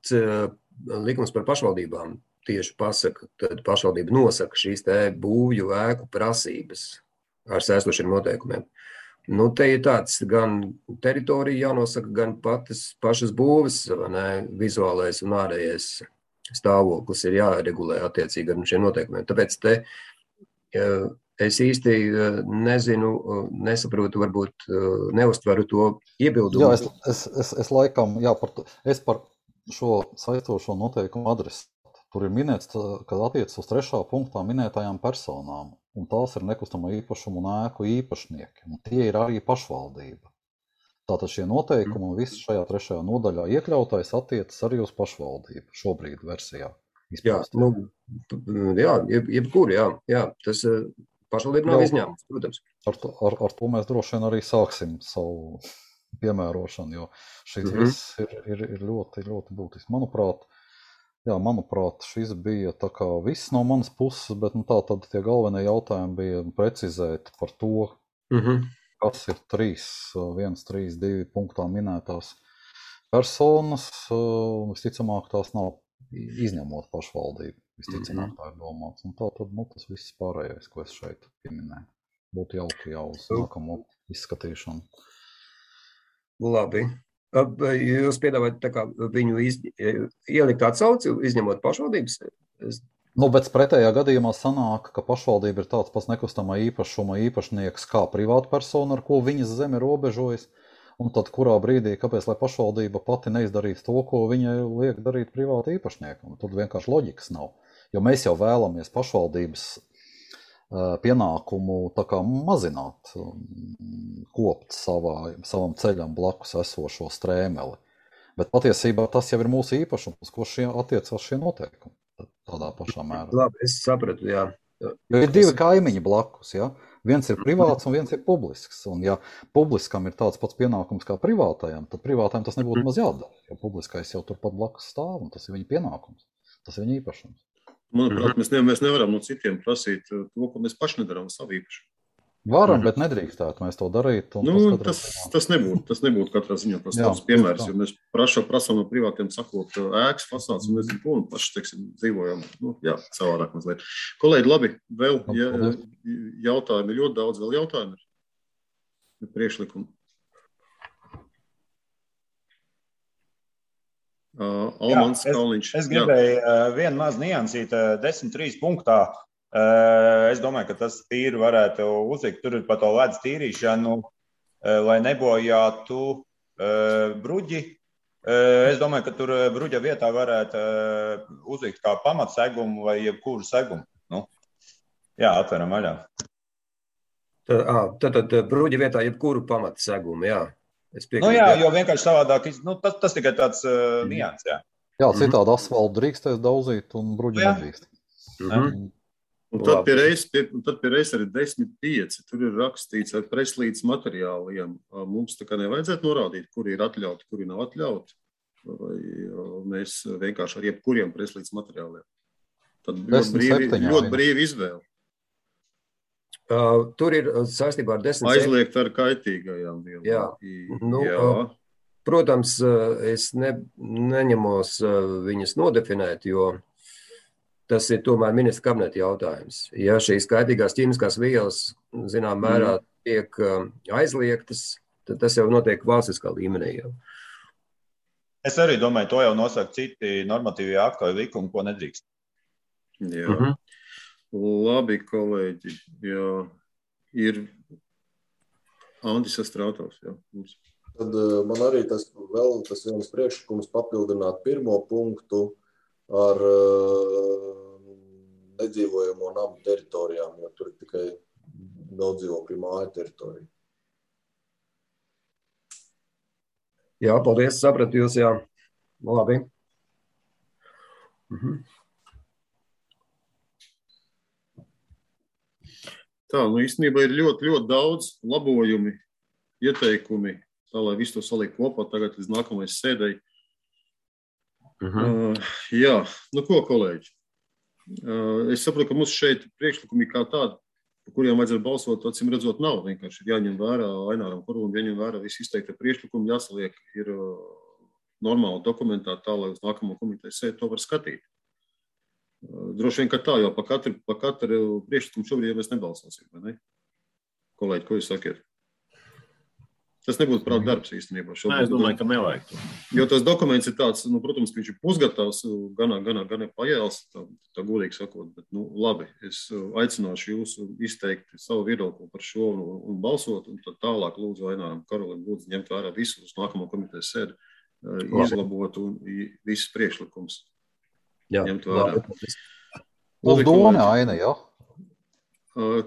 likums par pašvaldībām tieši pasaka, tad pašvaldība nosaka šīs te būvju ēku prasības ar saistošiem noteikumiem. Te ir tāds gan teritorija jānosaka, gan pašas būves, vizuālais un ārējais stāvoklis ir jāregulē attiecīgi ar šiem noteikumiem. Tāpēc te es īsti nezinu, nesaprotu, varbūt neuztveru to iebildumu. Jā, es laikam, es par šo saistošo noteikumu adresātu. Tur ir minēts, ka attiecas uz 3. punktā minētajām personām, un tās ir nekustamo īpašumu un ēku īpašnieki, un tie ir arī pašvaldība. Tātad šie noteikumi un viss šajā 3. nodaļā iekļautais attiecas arī uz pašvaldību šobrīd versijā. Jebkur, jā. Tas pašvaldība nav izņēmums, protams. Ar to mēs droši vien arī sāksim savu piemērošanu, jo šis viss ir ļoti, ļoti būtisks. Manuprāt, šis bija tā kā viss no manas puses, bet tā tad tie galvenie jautājumi bija precizēt par to, kas ir 1, 3, 2 punktā minētās personas, un visticamāk tās nav izņemot pašvaldību. Visticamāk tā ir domāts. Un tā tad, tas viss pārējais, ko es šeit pieminēju. Būtu jauki jau uz nākamo izskatīšanu. Labi. Jūs piedāvājat tā kā viņu ielikt atsauci, izņemot pašvaldības? Bet pretējā gadījumā sanāk, ka pašvaldība ir tāds pats nekustamā īpašuma īpašnieks kā privāta persona, ar ko viņas zeme robežojas, un tad kurā brīdī, kāpēc, lai pašvaldība pati neizdarītu to, ko viņai liek darīt privāta īpašniekam? Tad vienkārši loģikas nav, jo mēs jau vēlamies pašvaldības pienākumu tā kā mazināt, kopt savam ceļam blakus esošo strēmeli. Bet patiesībā tas jau ir mūsu īpašums, ko attiecās šie noteikumi. Tādā pašā mērā. Labi, es sapratu, jā. Jo ir 2 kaimiņi blakus, jā. Viens ir privāts un viens ir publisks. Un ja publiskam ir tāds pats pienākums kā privātajam, tad privātajam tas nebūtu maz jādara. Jo publiskais jau turpat blakus stāv un tas ir viņa pienākums. Tas ir viņa īpašums. Manuprāt, mēs nevaram no citiem prasīt to, ko mēs paši nedarām savu īpašumu. Varam, bet nedrīkstētu mēs to darīt. Tas nebūtu katrā ziņā tas tavs piemērs, jo mēs prasām no privātiem sakot ēkas fasādes, un mēs paši, dzīvojam, savādāk mazliet. Kolēģi, labi, vēl jautājumi, ļoti daudz vēl jautājumi ir priekšlikumi. Es gribēju vienu mazu niansīt 10.3 punktā. Es domāju, ka tas tīri varētu uzlikt. Tur ir par to ledus tīrīšanu, lai nebojātu bruģi. Es domāju, ka tur bruģa vietā varētu uzlikt kā pamatsegumu vai jebkuru segumu. Atveram vaļā. Tad bruģa vietā jebkuru pamatsegumu, jā. Jo vienkārši savādāk, tas tikai tāds nians, jā. Jā, citādi asfaltu drīkstēs daudzīt un bruģi nedrīkst. Un tad pie reizes arī 10.5. Tur ir rakstīts ar preslīdes materiāliem. Mums tā kā nevajadzētu norādīt, kuri ir atļauti, kuri nav atļauti. Vai mēs vienkārši ar jebkuriem preslīdes materiāliem. Tad ļoti brīvi izvēle. Tur ir saistībā ar 10. Aizliegt ar kaitīgajām vielām. Jā. Protams, es neņemos viņas nodefinēt, jo tas ir tomēr ministra kabineta jautājums. Ja šīs kaitīgās ķīmiskās vielas, zinām mērā, tiek aizliegtas, tad tas jau notiek valstiskā līmenī. Jau. Es arī domāju, to jau nosaka citi normatīvie akti vai likumi, ko nedrīkst. Jā. Labi, kolēģi. Jā. Ir Andis Astrātovs. Jā. Tad man arī tas viens priekšlikums papildināt 1. punktu ar nedzīvojamo namu teritorijām, jo tur ir tikai daudzdzīvokļu māju teritorija. Jā, paldies, sapratu jūs, jā. Labi. Tā, īstenībā ir ļoti, ļoti daudz labojumi, ieteikumi, tā, lai visu to saliek kopā tagad līdz nākamais sēdēji. Jā, ko, kolēģi? Es saprotu, ka mums šeit priekšlikumi kā tādi, par kuriem vajadzētu balsot, acīm redzot, nav. Vienkārši ir jāņem vērā Aināram Korūnam, jāņem vērā visi izteikti priekšlikumi, jāsaliek ir normāli dokumentā tā, lai uz nākamo komitejas sēdi to var skatīt. Droši vien, ka tā, jo pa katru priekšlikumu šobrīd mēs nebalsosim, vai ne? Kolēģi, ko jūs sakiet? Tas nebūtu prāt darbs īstenībā. Nē, es domāju, ka nevajag to. Jo tas dokuments ir tāds, protams, ka viņš ir pusgatavs, gan pajēls, tā godīgi sakot, bet, labi, es aicināšu jūs izteikt savu viedokli par šo un balsot, un tad tālāk lūdzu Aināram Karolim lūdzu ņemt vērā visu uz nākamo komitejas sēdi, izlabot un visus priekšlikums ņemt vērā. Uz Doni, Aina, jā?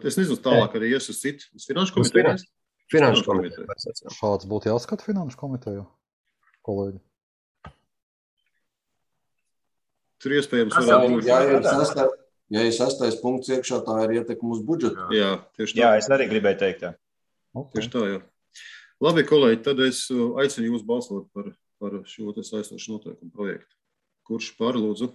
Es nezinu, tālāk arī ies uz citu, uz finanšu komiteju. Finanšu komiteju. Šāds būtu jāskata finanšu komiteju, kolēģi. Tur iespējams varētu būt. Ja ir 6. punkts iekšā, tā ir ietekme uz budžetu. Jā, tieši tā. Jā, es arī gribēju teikt, jā. Okay. Tieši tā, jā. Labi, kolēģi, tad es aicinu jūs balsot par šo saistošu noteikumu projektu. Kurš par, lūdzu?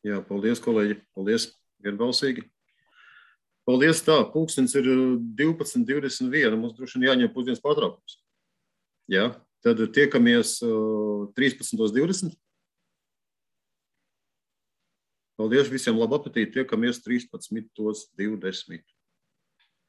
Jā, paldies, kolēģi. Paldies, vienbalsīgi. Paldies, tā. Pulkstens ir 12:21. Mums droši vien jāņem pusdienas pārtraukums. Jā, tad tiekamies 13:20. Paldies visiem, labu apetīti. Tiekamies 13:20.